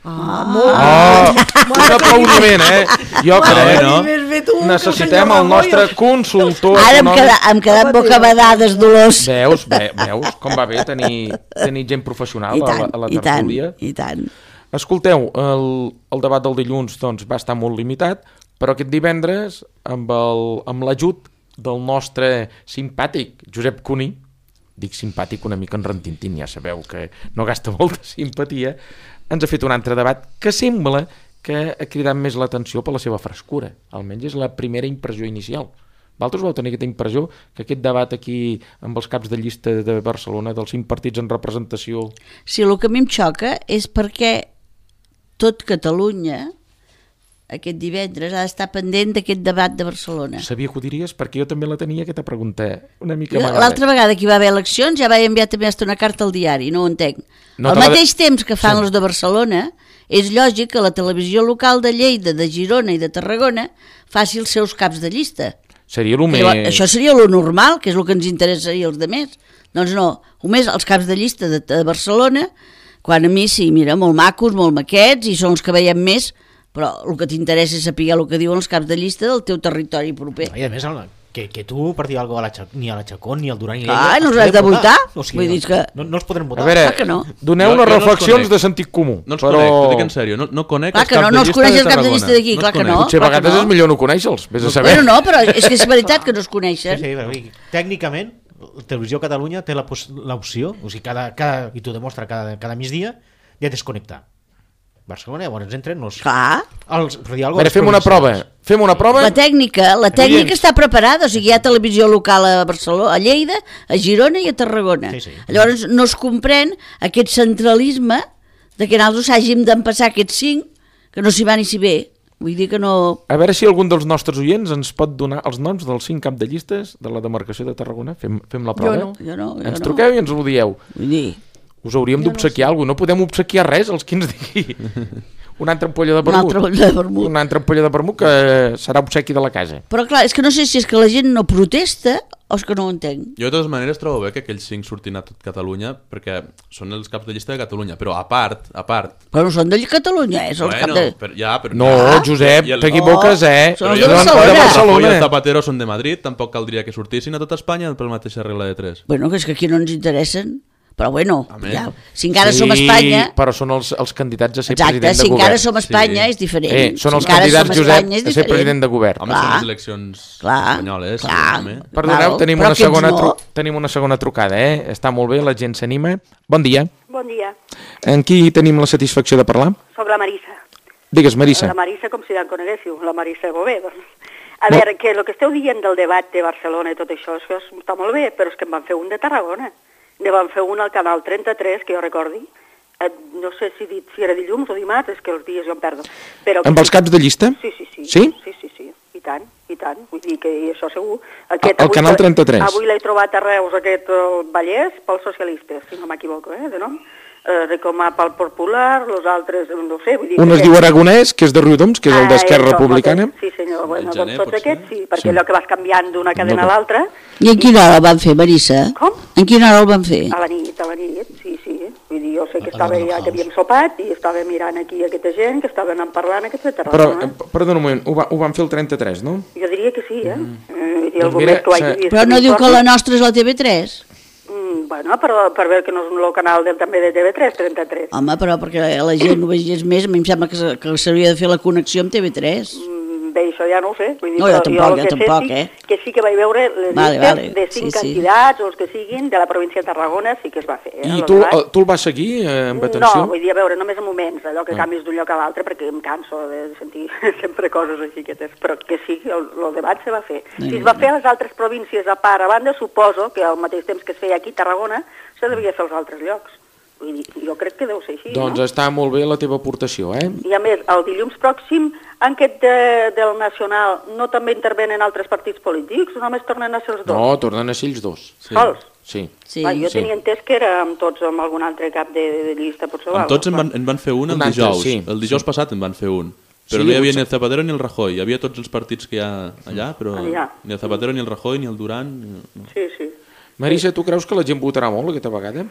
E: Ah, molt
A: Oh, un aplaudiment, eh? Jo crec,
D: no?
E: Més bé tu, que el
A: necessitem
E: senyor
A: el nostre
E: Rajoy-
A: consultor
B: Ara hem
A: econòmic.
B: quedat, hem quedat bocabadades, Dolors.
A: Veus, ve, veus com va bé tenir, tenir gent professional
B: I
A: a la,
B: tant,
A: a la
B: i tant,
A: tertúlia.
B: i tant.
A: Escolteu, el, el debat del dilluns doncs, va estar molt limitat, però aquest divendres, amb el- amb l'ajut del nostre simpàtic Josep Cuní, dic simpàtic una mica en rentintín, ja sabeu que no gasta molta simpatia, ens ha fet un altre debat que sembla que ha cridat més l'atenció per la seva frescura. Almenys és la primera impressió inicial. Vosaltres vau tenir aquesta impressió que aquest debat aquí amb els caps de llista de Barcelona, dels cinc partits en representació...
B: Sí, el que a mi em xoca és perquè tot Catalunya aquest divendres ha d'estar pendent d'aquest debat de Barcelona.
A: Sabia que ho diries perquè jo també la tenia aquesta pregunta una mica amagada.
B: L'altra vegada que hi va haver eleccions ja vaig enviar també una carta al diari, no ho entenc.
A: No
B: Al
A: te la-
B: mateix temps que fan
A: Sí.
B: els de Barcelona, és lògic que la televisió local de Lleida, de Girona i de Tarragona faci els seus caps de llista.
A: Seria el
B: Que
A: més...
B: lo- Això seria lo normal, que és el que ens interessaria als demés. Doncs no, només els caps de llista de, de Barcelona, quan a mi sí, mira, molt macos, molt maquets, i són els que veiem més, però el que t'interessa és saber el que diuen els caps de llista del teu territori proper.
C: I a més, que, que tu per dir alguna cosa a la Xa- ni a la Chacón ni al Duran ni
B: Ah,
C: a
B: no
C: els
B: els has de
C: podem
B: votar?
C: O sigui,
B: Vull dir que-
C: no, no els podrem
A: A
C: votar.
A: veure,
B: Clar que no.
A: doneu
D: Jo-
A: unes
D: jo no els
A: reflexions
D: conec.
A: de sentit comú.
D: No els
A: però...
D: conec, t'ho dic en sèrio, no, no conec
B: Clar
D: els
B: que
D: caps
B: no,
D: de
B: no els
D: llista
B: coneix
D: de
B: els caps de
D: Tarragona.
B: llista d'aquí, clar
D: els
B: que
D: conec.
B: no.
A: Potser a
B: clar que
A: vegades
B: no.
A: és millor no conèixer-los, vés a saber.
B: Bueno, no, però és que és veritat que no es
C: Sí,
B: coneixen.
C: sí, però, vull dir, tècnicament, Televisió Catalunya té la pos- l'opció, o sigui, cada, cada, i t'ho demostra cada, cada migdia, de desconnectar. Barcelona, llavors entren els...
B: Clar,
C: els per dir
A: A
C: alguna
A: veure,
C: cosa,
A: fem una
C: els
A: prova.
C: provincials.
A: Fem una prova.
B: la tècnica, la tècnica
A: Oients.
B: està preparada, o sigui, hi ha televisió local a Barcelona, a Lleida, a Girona i a Tarragona.
C: Sí, sí.
B: Llavors no es comprèn aquest centralisme de que nosaltres hàgim d'empassar aquests cinc, que no s'hi va ni s'hi ve. Vull dir que no...
A: A veure si algun dels nostres oients ens pot donar els noms dels cinc cap de llistes de la demarcació de Tarragona. Fem, fem la prova.
E: Jo no.
B: Jo no, jo
A: Ens
B: no.
A: truqueu i ens ho dieu.
B: Vull dir,
A: Us hauríem d'obsequiar alguna cosa. No podem obsequiar res als qui ens digui. Una altra ampolla de
B: una
A: vermut.
B: altra bolla de vermut.
A: Una altra ampolla de vermut que serà obsequi de la casa.
B: Però clar, és que no sé si és que la gent no protesta o és que no ho entenc?
D: Jo de totes maneres trobo bé que aquells cinc surtin a tot Catalunya perquè són els caps de llista de Catalunya, però a part, a part...
B: Però no són de Catalunya, eh? Són els
D: Bueno,
B: cap de...
D: però, ja, però,
A: No, Josep,
D: I el-
A: t'equivoques, eh?
B: Són
D: Però
B: els
D: jo
B: de
D: no
B: Barcelona.
D: de
A: Barcelona.
D: Rajoy i el Zapatero són de Madrid, tampoc caldria que sortissin a tot Espanya per la mateixa regla de tres.
B: Bueno, que és que aquí no ens interessen, però bueno,
D: Amén.
B: ja, si encara
A: Sí,
B: som a Espanya...
A: però són els, els candidats a ser
B: Exacte,
A: president de
B: si
A: govern.
B: encara som a Espanya
D: Sí.
B: és diferent.
A: Eh, són
B: Si
A: els
B: encara
A: candidats,
B: som a
A: Josep,
B: Espanya és
A: a ser
B: diferent.
A: president de govern.
D: Home,
B: Clar.
D: són les eleccions
B: Clar,
D: espanyoles.
B: clar.
D: home.
A: Perdoneu,
B: Val,
A: tenim
B: però
A: una,
B: aquests
A: segona
B: no.
A: tru... tenim una segona trucada, eh? Està molt bé, la gent s'anima. Bon dia.
F: Bon dia.
A: En qui tenim la satisfacció de parlar?
F: Soc la Marisa.
A: Digues, Marissa.
F: La Marisa, com si ja en coneguéssiu, la Marisa Bové. Doncs. A veure, que el que esteu dient del debat de Barcelona i tot això, això està molt bé, però és que en van fer un de Tarragona. Ne van fer un al canal trenta-tres, que jo recordi. Eh, no sé si, dit, si era dilluns o dimarts, és que els dies jo em perdo. Però
A: Amb els caps de llista?
F: Sí, sí, sí.
A: Sí?
F: Sí, sí, sí. I tant, i tant. Vull dir que i això segur. Aquest,
A: Al
F: avui
A: canal
F: l'he-
A: trenta-tres.
F: Avui l'he trobat a Reus, aquest el Vallès, pels socialistes, si no m'equivoco, eh, de nom. Eh, com a pel Popular, els altres, no sé, vull dir...
A: Un es
F: que-
A: diu Aragonès, que és de Riudoms, que és el
F: Ah,
A: d'Esquerra
F: això,
A: Republicana.
F: Sí, senyor, bueno,
D: El gener,
F: doncs tots
D: potser?
F: aquests sí, perquè allò que vas canviant d'una cadena a l'altra,
B: I en quina hora el van fer, Marissa?
F: Com?
B: En quina hora el van fer?
F: a la nit, a la nit, sí, sí. Vull dir, jo sé que
C: A- a
F: estava
C: l'Arnold
F: ja, que
C: House.
F: havíem sopat i estava mirant aquí aquesta gent, que estaven parlant aquests de
A: Però,
F: Tarragona.
A: eh, perdona un moment, ho, va, ho van fer el trenta-tres, no?
F: Jo diria que sí, eh? Mm. eh I
A: Doncs
F: algú
A: mira,
F: més que ho hagi
A: se-
F: vist.
B: Però no
F: que
B: diu que
F: m'informi.
B: la nostra és la T V tres?
F: Mm, bueno, per, per veure que no és un canal de, també de T V tres, trenta-tres.
B: Home, però perquè la gent ho vegés més, a mi em sembla que, se- que s'hauria de fer la connexió amb T V tres.
F: Mm, bé, això ja no ho sé. Vull dir,
B: No, jo
F: però
B: tampoc,
F: el
B: jo
F: que sé
B: tampoc,
F: sí,
B: eh?
F: que sí que vaig veure les
B: Vale,
F: llistes
B: vale,
F: de cinc
B: sí, sí.
F: candidats o els que siguin de la província de Tarragona, sí que es va fer. Eh,
A: I
F: el
A: tu,
F: debat.
A: eh, tu el vas seguir eh, amb atenció?
F: No, vull dir, a veure, només en moments, allò que
A: Ah.
F: canvis d'un lloc a l'altre, perquè em canso de sentir sempre coses així xiquetes, però que sí, el, el debat se va fer. Si es va fer a les altres províncies a part a banda, suposo que al mateix temps que es feia aquí a Tarragona, se devia fer als altres llocs. Vull dir, jo crec que deu ser així,
A: Doncs
F: no?
A: està molt bé la teva aportació, eh?
F: I a més, el dilluns pròxim, en aquest de, del Nacional, no també intervenen altres partits polítics? O només tornen a ser els dos?
A: No, tornen a ser ells dos.
D: Sí.
F: Sols?
A: Sí.
B: Sí.
F: Va, jo
A: sí.
F: tenia entès que era amb tots, amb algun altre cap de, de llista, potser.
D: Amb tots en van, en van fer un el
A: Un altre,
D: dijous.
A: sí.
D: El dijous passat en van fer un. Però
A: Sí,
D: no hi havia
A: potser-
D: ni el Zapatero ni el Rajoy. Hi havia tots els partits que hi ha allà, però
F: Allà.
D: ni el Zapatero ni el Rajoy ni el Duran. Ni... no.
F: Sí, sí.
A: Marissa, tu creus que la gent votarà molt aquesta vegada?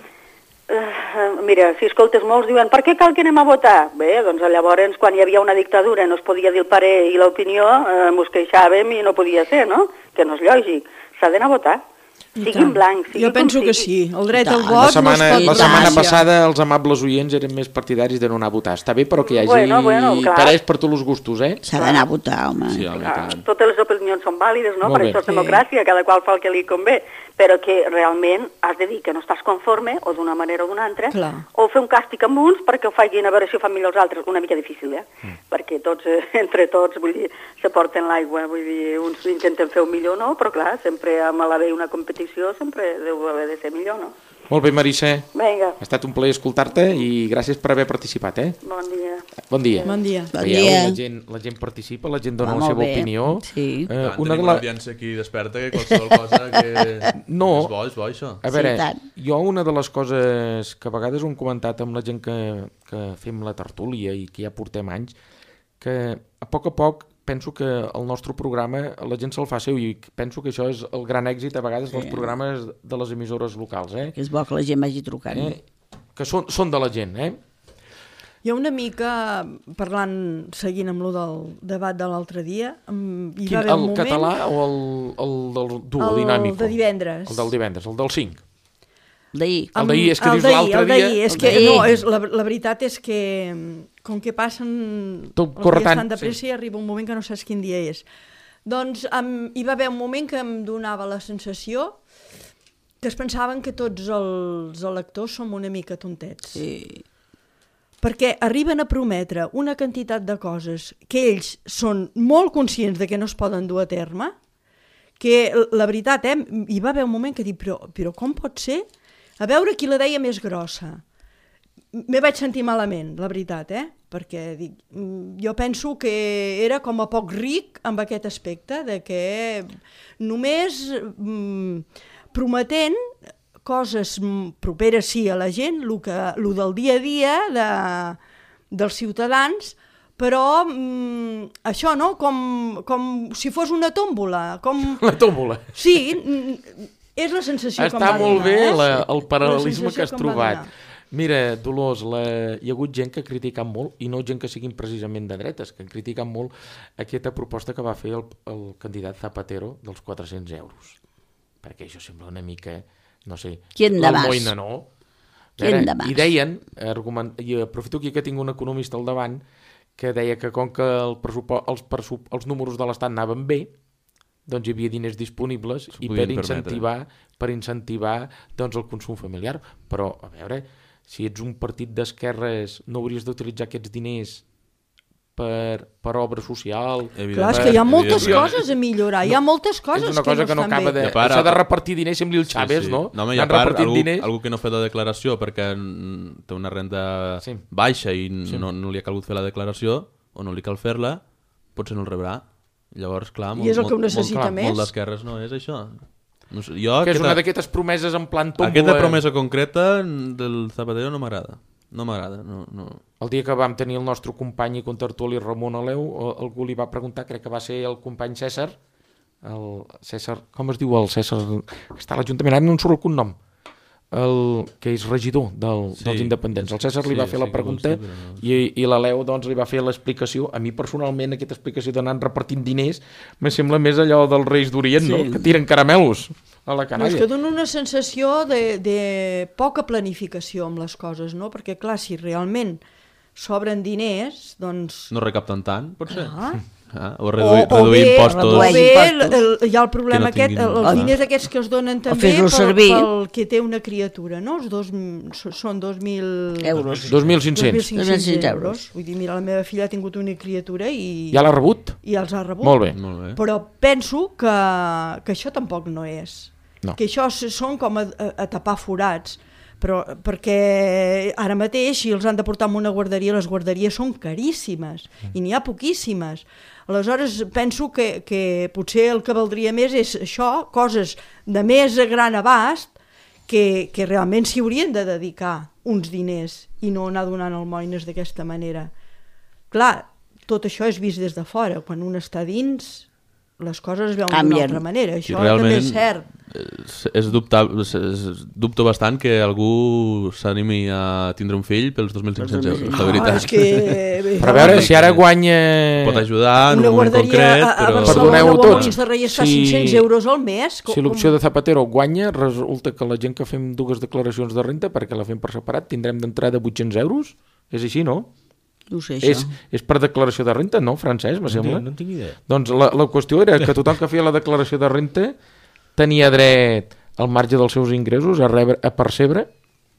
F: Uh, mira, si escoltes molts diuen per què cal que anem a votar? Bé, doncs llavors quan hi havia una dictadura no es podia dir el parer i l'opinió, eh, mos queixàvem i no podia ser, no? Que no és lògic. S'ha d'anar a votar.
E: I
F: Sigui
E: tant.
F: en blanc, sigui
E: Jo penso
F: com
E: que
F: sigui.
E: sí. El dret
B: I
E: al
B: tant.
E: vot
A: La setmana,
E: no es pot
A: la setmana
E: negociar.
A: passada els amables oients eren més partidaris de no anar a votar. Està bé, però que hi hagi
F: Bueno, bueno, clar.
A: interès per tots els gustos, eh?
B: S'ha d'anar a votar, home.
D: Sí, home,
F: Ah,
D: tant.
F: totes les opinions són vàlides, no?
A: Molt
F: Per
A: bé.
F: això és
E: Sí.
F: democràcia, cada qual fa el que li convé. Però que realment has de dir que no estàs conforme, o d'una manera o d'una altra,
E: Clar.
F: o fer un càstig amb uns perquè ho facin a veure si ho fan millor els altres. Una mica difícil, eh? Mm. Perquè tots, eh, entre tots, vull dir, se porten l'aigua, vull dir, uns intenten fer-ho millor, no? Però clar, sempre amb l'haver una competició sempre deu haver de ser millor, no?
A: Molt bé, Marissa.
F: Vinga,
A: Ha estat un plaer escoltar-te i gràcies per haver participat, eh?
F: bon dia.
A: Bon dia.
E: Bon dia.
B: Bon
A: Veieu,
B: dia.
A: la gent, la gent participa, la gent dona
B: Va,
A: la
B: molt
A: seva
B: bé.
A: opinió.
B: Sí.
A: Eh,
D: Tant,
A: una de
D: tenim
A: la...
D: una audiència aquí desperta que qualsevol cosa que...
A: No.
D: És bo, és bo, això.
A: A veure,
B: Sí, tant.
A: jo una de les coses que a vegades ho hem comentat amb la gent que, que fem la tertúlia i que ja portem anys, que a poc a poc penso que el nostre programa la gent se'l fa seu i penso que això és el gran èxit a vegades dels programes de les emissores locals, eh?
B: Que és bo que la gent vagi trucant.
A: eh? Que són, són de la gent, eh?
E: I una mica, parlant, seguint amb lo del debat de l'altre dia, em- hi
A: Quin,
E: va haver
A: el
E: un moment...
A: català o el, el del duo
E: El
A: dinàmic?
E: de divendres.
A: El del divendres, el del cinc.
B: D'ahir.
A: El d'ahir, és que
E: el
A: dius
E: d'ahir,
A: l'altre
E: el d'ahir,
A: dia-
E: És
B: el
E: que,
B: d'ahir.
E: no, és, la, la veritat és que com que passen
A: Tot
E: els
A: corre
E: dies
A: tant,
E: tan de pressa
A: sí.
E: i arriba un moment que no saps quin dia és. Doncs em, hi va haver un moment que em donava la sensació que es pensaven que tots els electors som una mica tontets.
B: Sí.
E: Perquè arriben a prometre una quantitat de coses que ells són molt conscients de que no es poden dur a terme, que la veritat, eh, hi va haver un moment que dic, però, però com pot ser? A veure qui la deia més grossa. Me vaig sentir malament, la veritat, eh? Perquè dic, mm, jo penso que era com a poc ric amb aquest aspecte, de que només mm, prometent coses mm, properes sí a la gent, lo, que, lo del dia a dia de, dels ciutadans, però mm, això, no? Com, com si fos una tòmbola. Com...
A: La tómbola.
E: Sí, mm, és la sensació
A: Està
E: que em va
A: molt
E: donar.
A: bé
E: eh?
A: la,
E: Sí,
A: el
E: la
A: paral·lelisme
E: sensació
A: que has
E: em va
A: trobat.
E: donar.
A: Mira, Dolors, la... hi ha hagut gent que ha criticat molt, i no gent que siguin precisament de dretes, que han criticat molt aquesta proposta que va fer el, el candidat Zapatero dels quatre-cents euros. Perquè això sembla una mica, no sé,
B: ¿Quién da más?
A: l'almoina, no?
B: ¿Quién da más?
A: I deien, argument... i aprofito aquí que tinc un economista al davant, que deia que com que el pressupost, els, pressup... els números de l'Estat anaven bé, doncs hi havia diners disponibles i per incentivar, per incentivar doncs, el consum familiar. Però, a veure, si ets un partit d'esquerres, no hauries d'utilitzar aquests diners per, per obra social.
E: Clar, és que hi ha moltes coses a millorar, hi ha moltes coses
A: és una cosa
E: que no
A: que no
E: estan
A: acaba
E: bé.
A: de... Això de repartir diners, sembli el Chávez,
D: sí, sí.
A: no?
D: No, home, i a part, algú, algú que no ha fet la declaració perquè té una renda sí. baixa i sí. no, no li ha calgut fer la declaració, o no li cal fer-la, potser no el rebrà. Llavors, clar, molt,
E: I és el que ho
D: molt,
E: necessita
D: molt,
E: més.
D: molt d'esquerres no és això. No sé, jo,
A: que és
D: aquesta,
A: una d'aquestes promeses en plan tómbola.
D: Aquesta promesa concreta del Zapatero no m'agrada. No m'agrada. No, no.
A: El dia que vam tenir el nostre company i contertuli Ramon Aleu, algú li va preguntar, crec que va ser el company César, el César, com es diu el César, que està a l'Ajuntament, ara no en surt el cognom, el que és regidor del, sí. dels independents. El César li sí, va fer sí, la pregunta sí, no... i, i l'Aleu doncs, li va fer l'explicació. A mi personalment aquesta explicació d'anar repartint diners me sembla més allò dels Reis d'Orient, sí. no? Que tiren caramelos a la canalla.
E: No, és que dona una sensació de, de poca planificació amb les coses, no? Perquè clar, si realment sobren diners, doncs...
D: No recapten tant, potser?
E: Ah.
D: Ah, o reduir,
E: o, o
D: reduir
E: bé,
D: impostos.
E: O bé el, el, hi ha el problema
D: no tinguin...
E: aquest, el, els diners aquests que es donen també pel, pel que té una criatura, no? Els dos, són dos mil...
B: Euros.
A: dos mil cinc-cents
E: euros. Vull dir, mira, la meva filla ha tingut una criatura i...
A: Ja l'ha rebut?
E: I els ha rebut.
A: Molt bé.
D: Molt bé.
E: Però penso que, que això tampoc no és.
A: No.
E: Que això són com a, a, a tapar forats. Però perquè ara mateix si els han de portar a una guarderia, les guarderies són caríssimes i n'hi ha poquíssimes. Aleshores penso que, que potser el que valdria més és això, coses de més a gran abast que, que realment s'hi haurien de dedicar uns diners i no anar donant almoines d'aquesta manera. Clar, tot això és vist des de fora, quan un està dins les coses es veuen d'una altra manera, això també és cert.
D: És, és, dubtar, és, és dubto bastant que algú s'animi a tindre un fill pels dos mil cinc-cents euros, la veritat.
E: No, és que...
A: Però a veure, si ara guanya...
D: Pot ajudar en un moment concret,
E: a, a
D: però...
E: Barcelona o a Molins de Rei està si... cinc-cents euros al mes.
A: Com... Si l'opció de Zapatero guanya, resulta que la gent que fem dues declaracions de renta, perquè la fem per separat, tindrem d'entrada vuit-cents euros? És així, no?
B: No sé,
A: és, és per declaració de renta, no, Francesc, me sembla?
C: No, no tinc idea.
A: Doncs la, la qüestió era que tothom que feia la declaració de renta tenia dret al marge dels seus ingressos a, rebre, a percebre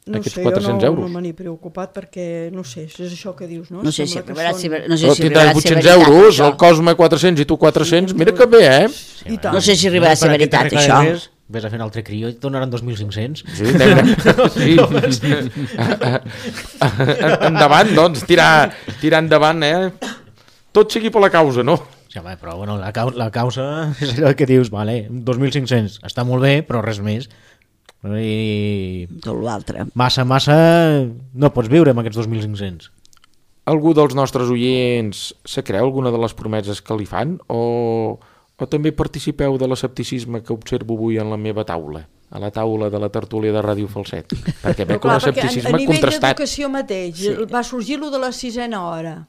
E: no
A: aquests
E: sé,
A: quatre-cents
E: no,
A: euros.
E: No me n'he preocupat perquè, no sé, és això que dius, no?
B: No sé si arribarà a ser, no sé
A: Però
B: si arribarà a ser
A: vuit-cents
B: veritat,
A: euros,
B: això.
A: el Cosme quatre-cents i tu quatre-cents, sí, mira que bé, eh?
E: I tant.
B: No sé si arribarà a ser veritat, això.
C: Res, ves a fer un altre crió i et donaran dos mil cinc-cents.
A: Sí, sí. Endavant, doncs, tirar, tirar endavant, eh? Tot sigui per la causa, no?
C: Sí, home, però bueno, la, causa, la causa és allò que dius, vale, dos mil cinc-cents, està molt bé, però res més. I...
B: Tot l'altre.
C: Massa, massa, no pots viure amb aquests dos mil cinc-cents.
A: Algú dels nostres oients se creu alguna de les promeses que li fan o, o també participeu de l'escepticisme que observo avui en la meva taula, a la taula de la tertúlia de Ràdio Falset? Perquè veig un escepticisme
E: a, a nivell
A: contrastat.
E: d'educació mateix, sí. Va sorgir lo de la sisena hora.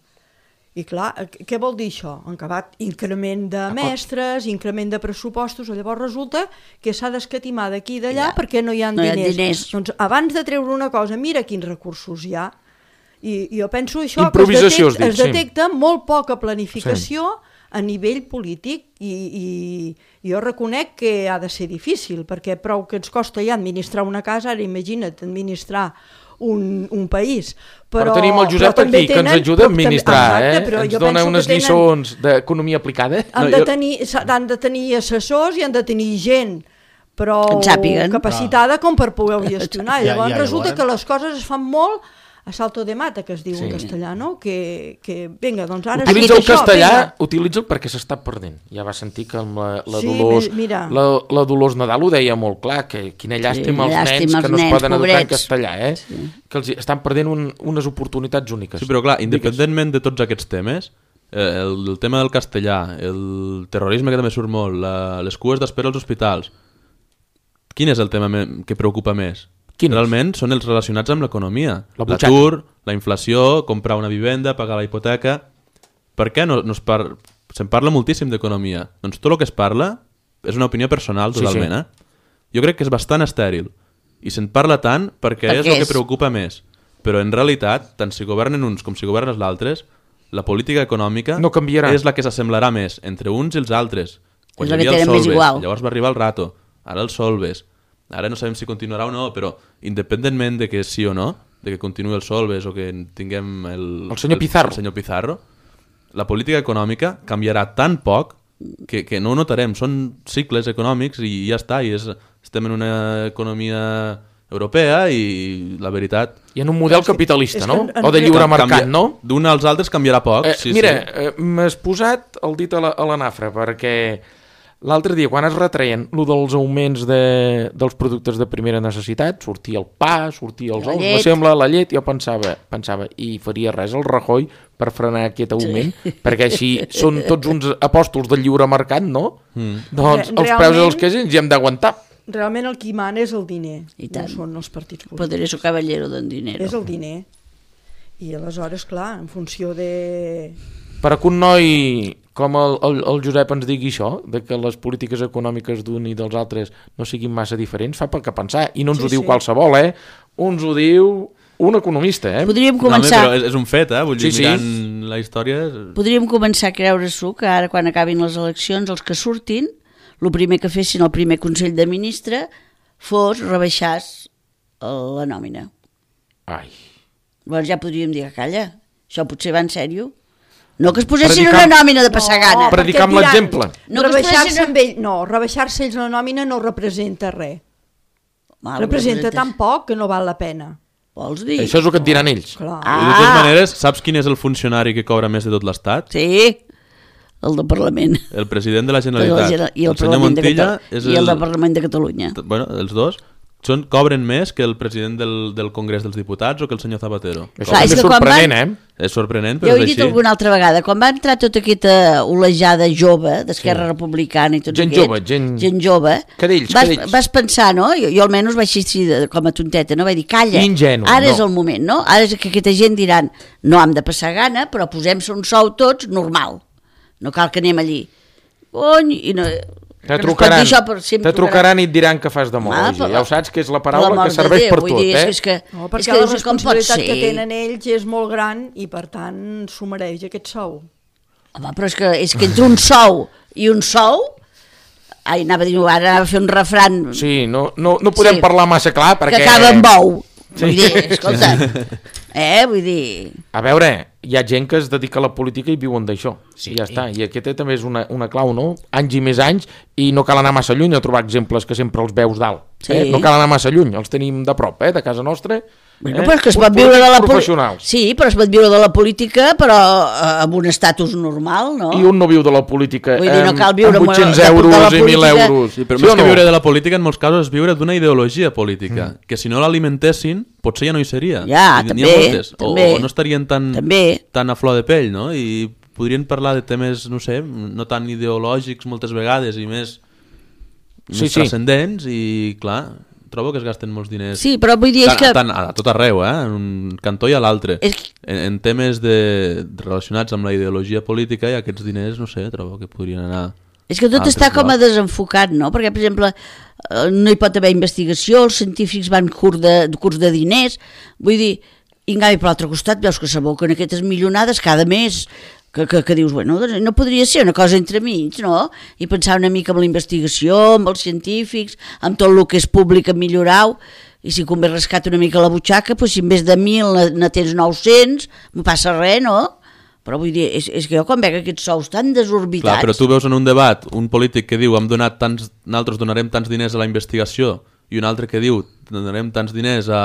E: I clar, què vol dir això? Encabat increment de mestres, increment de pressupostos, llavors resulta que s'ha d'escatimar d'aquí i d'allà ja. Perquè no hi ha
B: no
E: diners.
B: Hi ha diners.
E: Doncs abans de treure una cosa, mira quins recursos hi ha. I, i jo penso això, que es
A: detecta,
E: detecta, es detecta sí. molt poca planificació sí. a nivell polític i, i, i jo reconec que ha de ser difícil, perquè prou que ens costa ja administrar una casa, ara imagina't administrar Un, un país. Però,
A: però tenim el Josep aquí, tenen, que ens ajuda a administrar, exacte, eh? Ens dona unes tenen, lliçons d'economia aplicada.
E: Han, no, de tenir, jo... han de tenir assessors i han de tenir gent però capacitada com per poder gestionar.
C: ja,
E: llavors
C: ja,
E: resulta
C: ja,
E: que les coses es fan molt a salto de mata, que es diu
A: Sí.
E: en castellà, no? Que, que vinga, doncs ara...
A: Utilitza
E: sí,
A: el
E: això,
A: castellà,
E: vinga.
A: utilitza perquè s'està perdent. Ja va sentir que amb la, la,
E: Sí,
A: Dolors,
E: mira.
A: la, la Dolors Nadal ho deia molt clar, que quina llàstima
B: Sí,
A: els
B: llàstima
A: nens
B: els
A: que no es
B: nens,
A: poden educar en
B: pobrets.
A: castellà, eh? Sí. Que els hi- estan perdent un, unes oportunitats úniques.
D: Sí, però clar,
A: Digues.
D: independentment de tots aquests temes, eh, el, el tema del castellà, el terrorisme que també surt molt, la, les cues d'espera als hospitals, quin és el tema me, que preocupa més?
A: Quin és?
D: Realment són els relacionats amb l'economia.
A: La butxaca.
D: L'atur, la inflació, comprar una vivenda, pagar la hipoteca... Per què no, no es par... se'n parla moltíssim d'economia? Doncs tot el que es parla és una opinió personal
A: Sí,
D: totalment,
A: sí.
D: eh? Jo crec que és bastant estèril. I se'n parla tant perquè,
B: Perquè
D: és el que
B: és-
D: preocupa més. Però en realitat, tant si governen uns com si governen els altres, la política econòmica
A: No canviarà.
D: és la que s'assemblarà més entre uns i els altres.
B: És
D: hi
B: la que
D: havia els
B: tenen més
D: Solves,
B: igual.
D: llavors va arribar el Rato, ara els Solves. Ara no sabem si continuarà o no, però independentment de que sí o no, de que continuï el Solves o que tinguem el,
A: El senyor Pizarro.
D: el senyor Pizarro, la política econòmica canviarà tan poc que, que no ho notarem. Són cicles econòmics i ja està. I és, estem en una economia europea i la veritat...
A: I en un model
E: És que-
A: capitalista,
E: és
A: no?
E: que en-
A: O de
E: en-
A: lliure
D: Canvia-
A: mercat, no?
D: D'un als altres canviarà poc.
A: Eh,
D: sí,
A: mira,
D: sí.
A: eh, m'has posat el dit a la, a la nafra, perquè l'altre dia, quan es retreien lo dels augments de, dels productes de primera necessitat, sortia el pa, sortia els
B: La
A: ous,
B: llet.
A: me sembla, la llet, jo pensava, pensava, i faria res el Rajoy per frenar aquest augment, sí. perquè així són tots uns apòstols del lliure mercat, no? Mm. Doncs
E: Re-
A: els preus
E: realment-
A: dels que ens hi hem d'aguantar.
E: Realment el qui mana és el diner,
B: I tant.
E: no són els partits polítics.
B: Poderoso caballero d'en dinero.
E: És el diner. I aleshores, clar, en funció de...
A: Per a que un noi com el, el, el Josep ens digui això, de que les polítiques econòmiques d'un i dels altres no siguin massa diferents, fa per què pensar. I no ens
E: Sí,
A: ho diu
E: sí.
A: qualsevol, eh? Uns ho diu un economista, eh?
B: Podríem
D: No, home,
B: començar...
D: però és, és un fet, eh? Vull dir,
A: Sí, sí.
D: mirant la història...
B: Podríem començar a creure-s'ho que ara quan acabin les eleccions els que surtin, el primer que fessin el primer Consell de Ministre fos rebaixar la nòmina.
A: Ai.
B: Llavors ja podríem dir que calla, això potser va en sèrio. No que es posessin
A: Predicar-
B: una nòmina de passar gana.
A: Per- Predicar amb
E: perquè et diran,
A: l'exemple.
B: No, que es
E: rebaixar-se
B: posin-
E: amb ell, no, rebaixar-se ells la nòmina no representa res.
B: Mal,
E: representa
B: representa-
E: tan poc que no val la pena.
B: Vols dir?
A: Això és el que et diran ells.
E: Clar.
B: Ah.
D: De totes maneres, saps quin és el funcionari que cobra més de tot l'Estat?
B: Sí, el del Parlament.
D: El president de la
B: De la
D: Generalitat.
B: Gene- I el,
D: el senyor
B: Parlament de
D: Montilla
B: Catalunya.
D: és
B: I el
D: el...
B: del Parlament de Catalunya.
D: Bueno, els dos són, cobren més que el president del, del Congrés dels Diputats o que el senyor Zapatero.
A: Això
B: Clar,
A: també
B: és
A: és
B: que quan
A: sorprenent,
B: van-
A: eh?
D: És sorprenent,
B: Ja
D: però
B: ho he
D: és
B: dit
D: així.
B: alguna altra vegada, quan va entrar tota aquesta olejada jove d'Esquerra sí. Republicana i tots
A: Gent
B: aquests,
A: jove, gent-
B: gent jove,
A: Cadells,
B: vas,
A: cadells.
B: vas pensar, no? Jo, jo almenys vaig així de, com a tonteta, no? Vaig dir, calla,
A: Ingenu,
B: ara
A: no.
B: és el moment, no? Ara és que aquesta gent diran, no hem de passar gana, però posem-se un sou tots normal. No cal que anem allí. Cony, i no...
A: Te
B: que no es pot dir
A: trucaran,
B: això, però sempre
A: te trucaran i et diran que fas demologia.
B: Ah, però-
A: Ja ho saps que és la
B: per
A: paraula
B: l'amor
A: que
B: de
A: serveix
B: Déu,
A: per
B: vull
A: tot,
B: dir,
A: eh?
B: És que,
E: No,
B: és
E: perquè
B: que
E: la
B: dius, com pot
E: responsabilitat
B: ser?
E: que tenen ells és molt gran i per tant s'ho mereix aquest sou.
B: Home, però és que, és que entre un sou i un sou... Ai, anava a dir, ara anava a fer un refran
A: Sí, no, no, no podem
B: Sí.
A: parlar massa clar perquè...
B: que acaba amb ou.
A: Sí.
B: Vull dir, escolta, eh, vull dir...
A: A veure, hi ha gent que es dedica a la política i viuen d'això. Sí, ja està. I aquesta també és una, una clau, no? Anys i més anys, i no cal anar massa lluny a trobar exemples que sempre els veus dalt.
B: Sí.
A: Eh? No cal anar massa lluny, els tenim de prop, eh? De casa nostra.
B: Bueno,
A: eh?
B: però és que es
A: Uns
B: pot viure de la política...
A: professionals.
B: Sí, però es pot viure de la política, però eh, amb un estatus normal, no?
A: I un no viu de la política
B: Vull dir, no
A: amb-
B: cal viure
A: amb
B: amb-
A: vuit-cents
B: de- de
A: euros
B: la
A: i mil
B: política.
A: euros.
D: Sí, però
A: Sí
D: més
A: o
D: que
A: no?
D: viure de la política, en molts casos, és viure d'una ideologia política, mm. que si no l'alimentessin, potser ja no hi seria.
B: Ja,
D: I n'hi
B: també,
D: ha moltes. O,
B: també.
D: o no estarien tan,
B: També.
D: tan a flor de pell, no? I podrien parlar de temes, no sé, no tan ideològics moltes vegades i més,
A: Sí,
D: més
A: sí.
D: transcendents i, clar, trobo que es gasten molts diners.
B: Sí, però vull dir, és
D: Tant,
B: que...
D: tant, a tot arreu, eh? En un cantó i a l'altre.
B: És...
D: En, en temes de, relacionats amb la ideologia política i aquests diners, no sé, trobo que podrien anar...
B: És que tot
D: altres
B: està com a
D: llocs.
B: desenfocat, no? Perquè, per exemple, eh, no hi pot haver investigació, els científics van curs de, curs de diners, vull dir, i en canvi, per l'altre costat, veus que s'aboquen aquestes milionades cada mes, que, que, que dius, bueno, doncs no podria ser una cosa entre mig, no? I pensar una mica en la investigació, amb els científics, amb tot el que és públic a millorar-ho, i si convé rescat una mica la butxaca, doncs si en vez de mil ne, ne tens nou-cents, no passa res, no? Però vull dir, és, és que jo quan veig aquests sous tan desorbitats...
D: Clar, però tu veus en un debat un polític que diu hem donat tants, nosaltres donarem tants diners a la investigació i un altre que diu donarem tants diners a,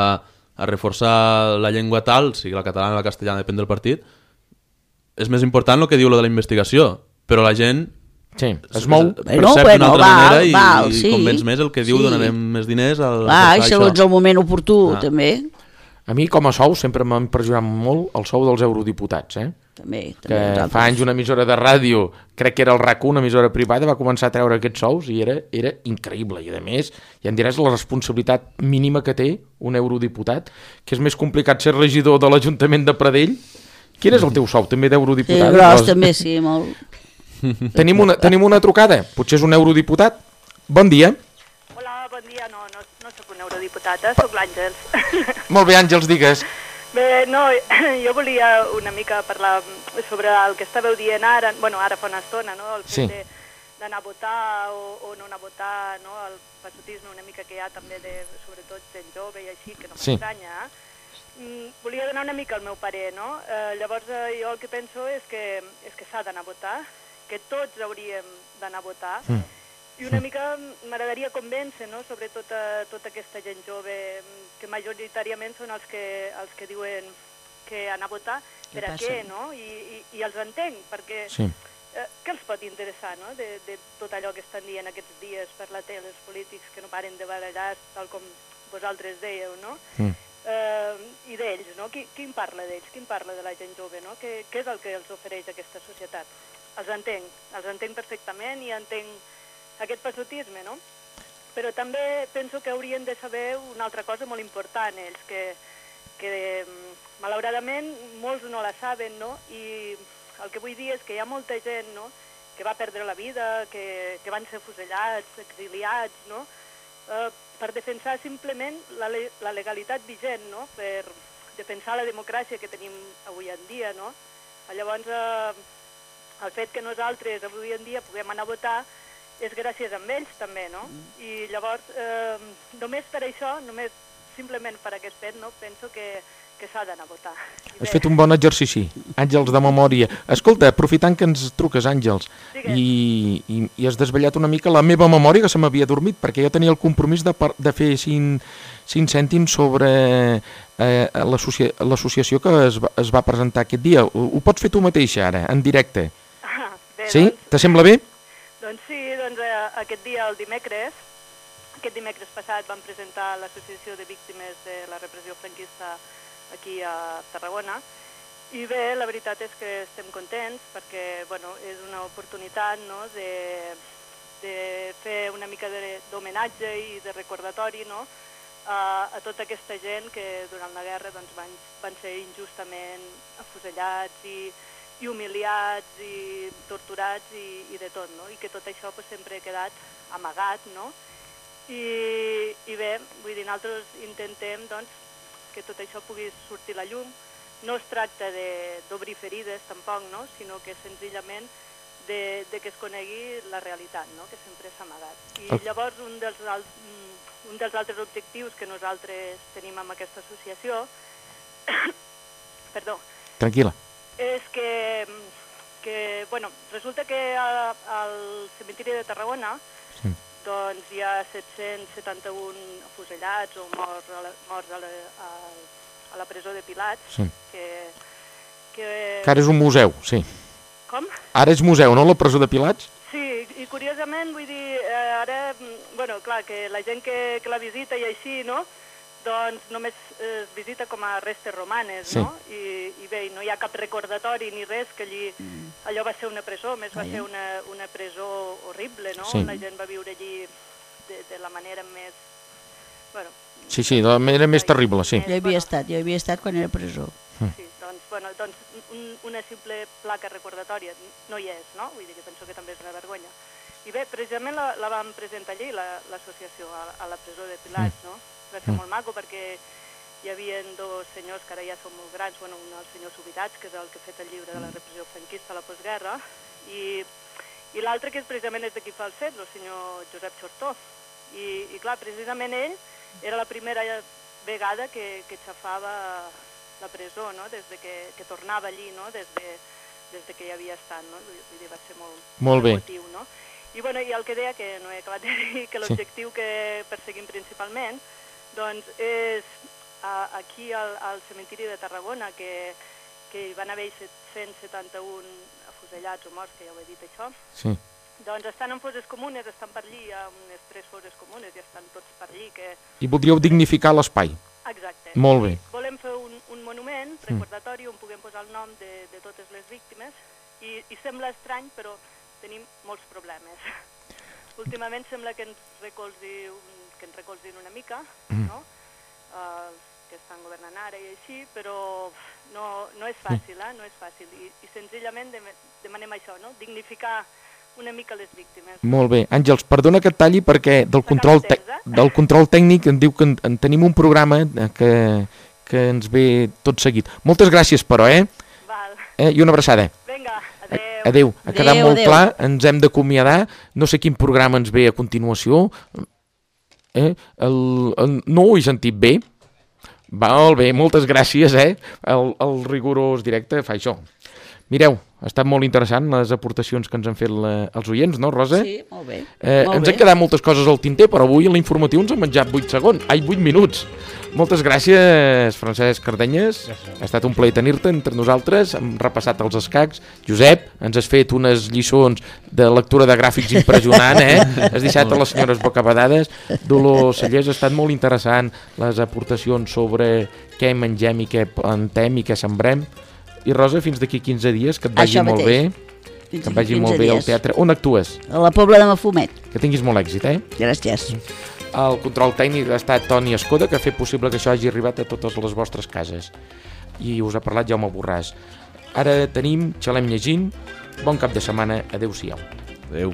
D: a reforçar la llengua tal, sigui la catalana o la castellana, depèn del partit, és més important el que diu lo de la investigació, però la gent
A: sí, es mou.
D: percep
B: Bueno,
D: d'una
B: bueno,
D: altra
B: val,
D: manera i,
B: val,
D: i
B: sí,
D: convenç més el que diu
B: sí.
D: donarem més diners al
B: Clar, i
D: reforçar
B: segons
D: això.
B: el moment oportú,
D: Ah.
B: també.
A: A mi, com a sou, sempre m'ha impressionat molt el sou dels eurodiputats, eh?
B: També,
A: Que
B: també nosaltres.
A: fa anys una emissora de ràdio, crec que era el RAC u, una emissora privada, va començar a treure aquests sous i era, era increïble. I a més, ja em diràs la responsabilitat mínima que té un eurodiputat, que és més complicat ser regidor de l'Ajuntament de Pradell. Quin és el teu sou, també
B: Sí,
A: d'eurodiputat?
B: gros, també, sí, molt.
A: Tenim una, tenim una trucada, potser és un eurodiputat. Bon dia.
G: Hola, bon dia. No, no, no sóc un eurodiputat, eh? Sóc l'Àngels.
A: Molt bé, Àngels, digues.
G: Bé, no, jo volia una mica parlar sobre el que estàveu dient ara, bueno, ara fa una estona, no? El
A: Sí.
G: fet de- d'anar a votar o, o no anar a votar, no? El passotisme una mica que hi ha també de, sobretot, gent jove i així, que no
A: Sí.
G: m'estranya, eh? Mm, volia donar una mica el meu parer, no? Eh, llavors, eh, jo el que penso és que, és que s'ha d'anar a votar, que tots hauríem d'anar a votar,
A: Mm.
G: i una mica m'agradaria convèncer, no?, sobre tota, tota aquesta gent jove, que majoritàriament són els que, els que diuen que anar a votar,
B: Què
G: per a
B: passa?
G: què, no? I, i, i els entenc, perquè
A: Sí.
G: eh, què els pot interessar, no?, de, de tot allò que estan dient aquests dies per la tele, els polítics que no paren de barallar, tal com vosaltres dèieu, no?
A: Mm.
G: Eh, I d'ells, no? Qui, qui en parla d'ells? Qui en parla de la gent jove, no? Què, què és el que els ofereix aquesta societat? Els entenc, els entenc perfectament i entenc aquest passotisme, no? Però també penso que haurien de saber una altra cosa molt important, ells, que, que mm, malauradament molts no la saben, no? I el que vull dir és que hi ha molta gent, no?, que va perdre la vida, que, que van ser fusellats, exiliats, no?, eh, per defensar simplement la, le la legalitat vigent, no?, per defensar la democràcia que tenim avui en dia, no? Llavors, eh, el fet que nosaltres avui en dia puguem anar a votar és gràcies a ells també, no? I llavors, eh, només per això, només simplement per aquest fet, no, penso que, que s'ha d'anar a votar. I
A: Has
G: bé,
A: fet un bon exercici, Àngels, de memòria. Escolta, aprofitant que ens truques, Àngels,
G: Digues.
A: i, i, i has desvetllat una mica la meva memòria, que se m'havia dormit, perquè jo tenia el compromís de, par- de fer cinc, cinc cèntims sobre eh, l'associació que es va, es va presentar aquest dia. Ho, ho pots fer tu mateixa, ara, en directe.
G: Ah, bé,
A: Sí?
G: doncs,
A: Te sembla bé?
G: doncs sí, doncs eh, aquest dia, el dimecres, aquest dimecres passat vam presentar l'Associació de Víctimes de la Repressió Franquista aquí a Tarragona, i bé, la veritat és que estem contents perquè, bueno, és una oportunitat, no?, de, de fer una mica de- d'homenatge i de recordatori, no?, a, a tota aquesta gent que durant la guerra doncs, van, van ser injustament afusellats i, i humiliats i torturats i, i de tot, no?, i que tot això pues, sempre ha quedat amagat, no?, i, i bé, vull dir, nosaltres intentem doncs, que tot això pugui sortir a la llum. No es tracta de- d'obrir ferides tampoc, no?, sinó que senzillament de, de que es conegui la realitat, no?, que sempre s'ha amagat. I
A: El-
G: llavors un dels, al, un dels altres objectius que nosaltres tenim amb aquesta associació perdó,
A: Tranquil·la.
G: és que, que bueno, resulta que a- al cementiri de Tarragona
A: Sí.
G: doncs hi ha set-cents setanta-un afusellats o morts a la, morts a la, a, a la presó de Pilats,
A: Sí.
G: que, que...
A: Que ara és un museu, sí.
G: Com?
A: Ara és museu, no, la presó de Pilats?
G: Sí, i curiosament, vull dir, eh, ara, mm, bueno, clar, que la gent que, que la visita i així, no?, doncs només es visita com a restes romanes,
A: Sí.
G: no? I, I bé, no hi ha cap recordatori ni res, que allí, allò va ser una presó, més va
B: Vaja.
G: ser una, una presó horrible, no?
A: Sí.
G: La gent va viure allí de, de la manera més... Bueno,
A: Sí, sí, de la manera més terrible, sí.
B: Jo hi havia estat, jo hi havia estat quan era a presó.
G: Sí, doncs, bueno, doncs un, una simple placa recordatòria no hi és, no? Vull dir que penso que també és una vergonya. I bé, precisament la, la vam presentar allí, la- l'associació, a, a la presó de Pilats, no? Va ser molt maco perquè hi havia dos senyors que ara ja són molt grans, bueno, un el senyor Subirats, que és el que ha fet el llibre de la repressió franquista a la postguerra, i, i l'altre que és precisament és de qui fa el fet, el senyor Josep Xortó. I, i clar, precisament ell era la primera vegada que, que xafava la presó, no?, des de que, que tornava allí, no?, des de, des de que hi havia estat, no?, vull, vull dir, va ser molt,
A: Molt bé.
G: emotiu, no? I, bueno, i el que deia, que no he acabat de dir, que l'objectiu que perseguim principalment, doncs, és a, aquí al, al cementiri de Tarragona, que, que hi van haver set-cents setanta-un afusellats o morts, que ja ho he dit això.
A: Sí.
G: Doncs estan en fosses comunes, estan per allí, hi ha unes tres fosses comunes i estan tots per allí. Que...
A: I voldríeu dignificar l'espai.
G: Exacte.
A: Molt bé.
G: Volem fer un, un monument recordatori on puguem posar el nom de, de totes les víctimes i, i sembla estrany, però tenim molts problemes. Últimament sembla que ens recolzi, que ens recolzin una mica, no? Uh, que estan governant ara i així, però no, no és fàcil, eh? No és fàcil. I, i senzillament demanem això, no? Dignificar una mica les víctimes.
A: Molt bé. Àngels, perdona que et talli perquè del control, te del control tècnic em diu que en, en tenim un programa que, que ens ve tot seguit. Moltes gràcies, però, eh?
G: Val.
A: eh? I una abraçada.
G: Vinga, adéu.
A: Adéu. Ha quedat
B: Adéu,
A: molt
B: adéu.
A: clar, ens hem d'acomiadar. No sé quin programa ens ve a continuació. Eh? El, el, no ho he sentit bé. Molt bé, moltes gràcies, eh? El, el rigorós directe fa això. Mireu, ha estat molt interessant les aportacions que ens han fet la, els oients, no, Rosa?
B: Sí, molt bé.
A: Eh,
B: molt
A: ens
B: bé.
A: han quedat moltes coses al tinter, però avui a l'informatiu ens han menjat vuit segons, ai, vuit minuts. Moltes gràcies, Francesc Cardenyes. Ha estat un plaer tenir-te entre nosaltres. Hem repassat els escacs. Josep, ens has fet unes lliçons de lectura de gràfics impressionant, eh? Has deixat a les senyores bocabadades. Dolors Cellers, ha estat molt interessant les aportacions sobre què mengem i què plantem i què sembrem. I Rosa, fins d'aquí quinze dies, que et vagi
B: Això
A: molt
B: mateix.
A: bé.
B: Fins
A: Que et vagi
B: quinze
A: molt bé al
B: dies.
A: teatre. On actues?
B: A la Pobla de Mafumet.
A: Que tinguis molt èxit, eh?
B: Gràcies.
A: El control tècnic ha estat Toni Escoda, que ha fet possible que això hagi arribat a totes les vostres cases. I us ha parlat Jaume Borràs. Ara tenim Xalem llegint. Bon cap de setmana. Adéu-siau.
D: Adéu.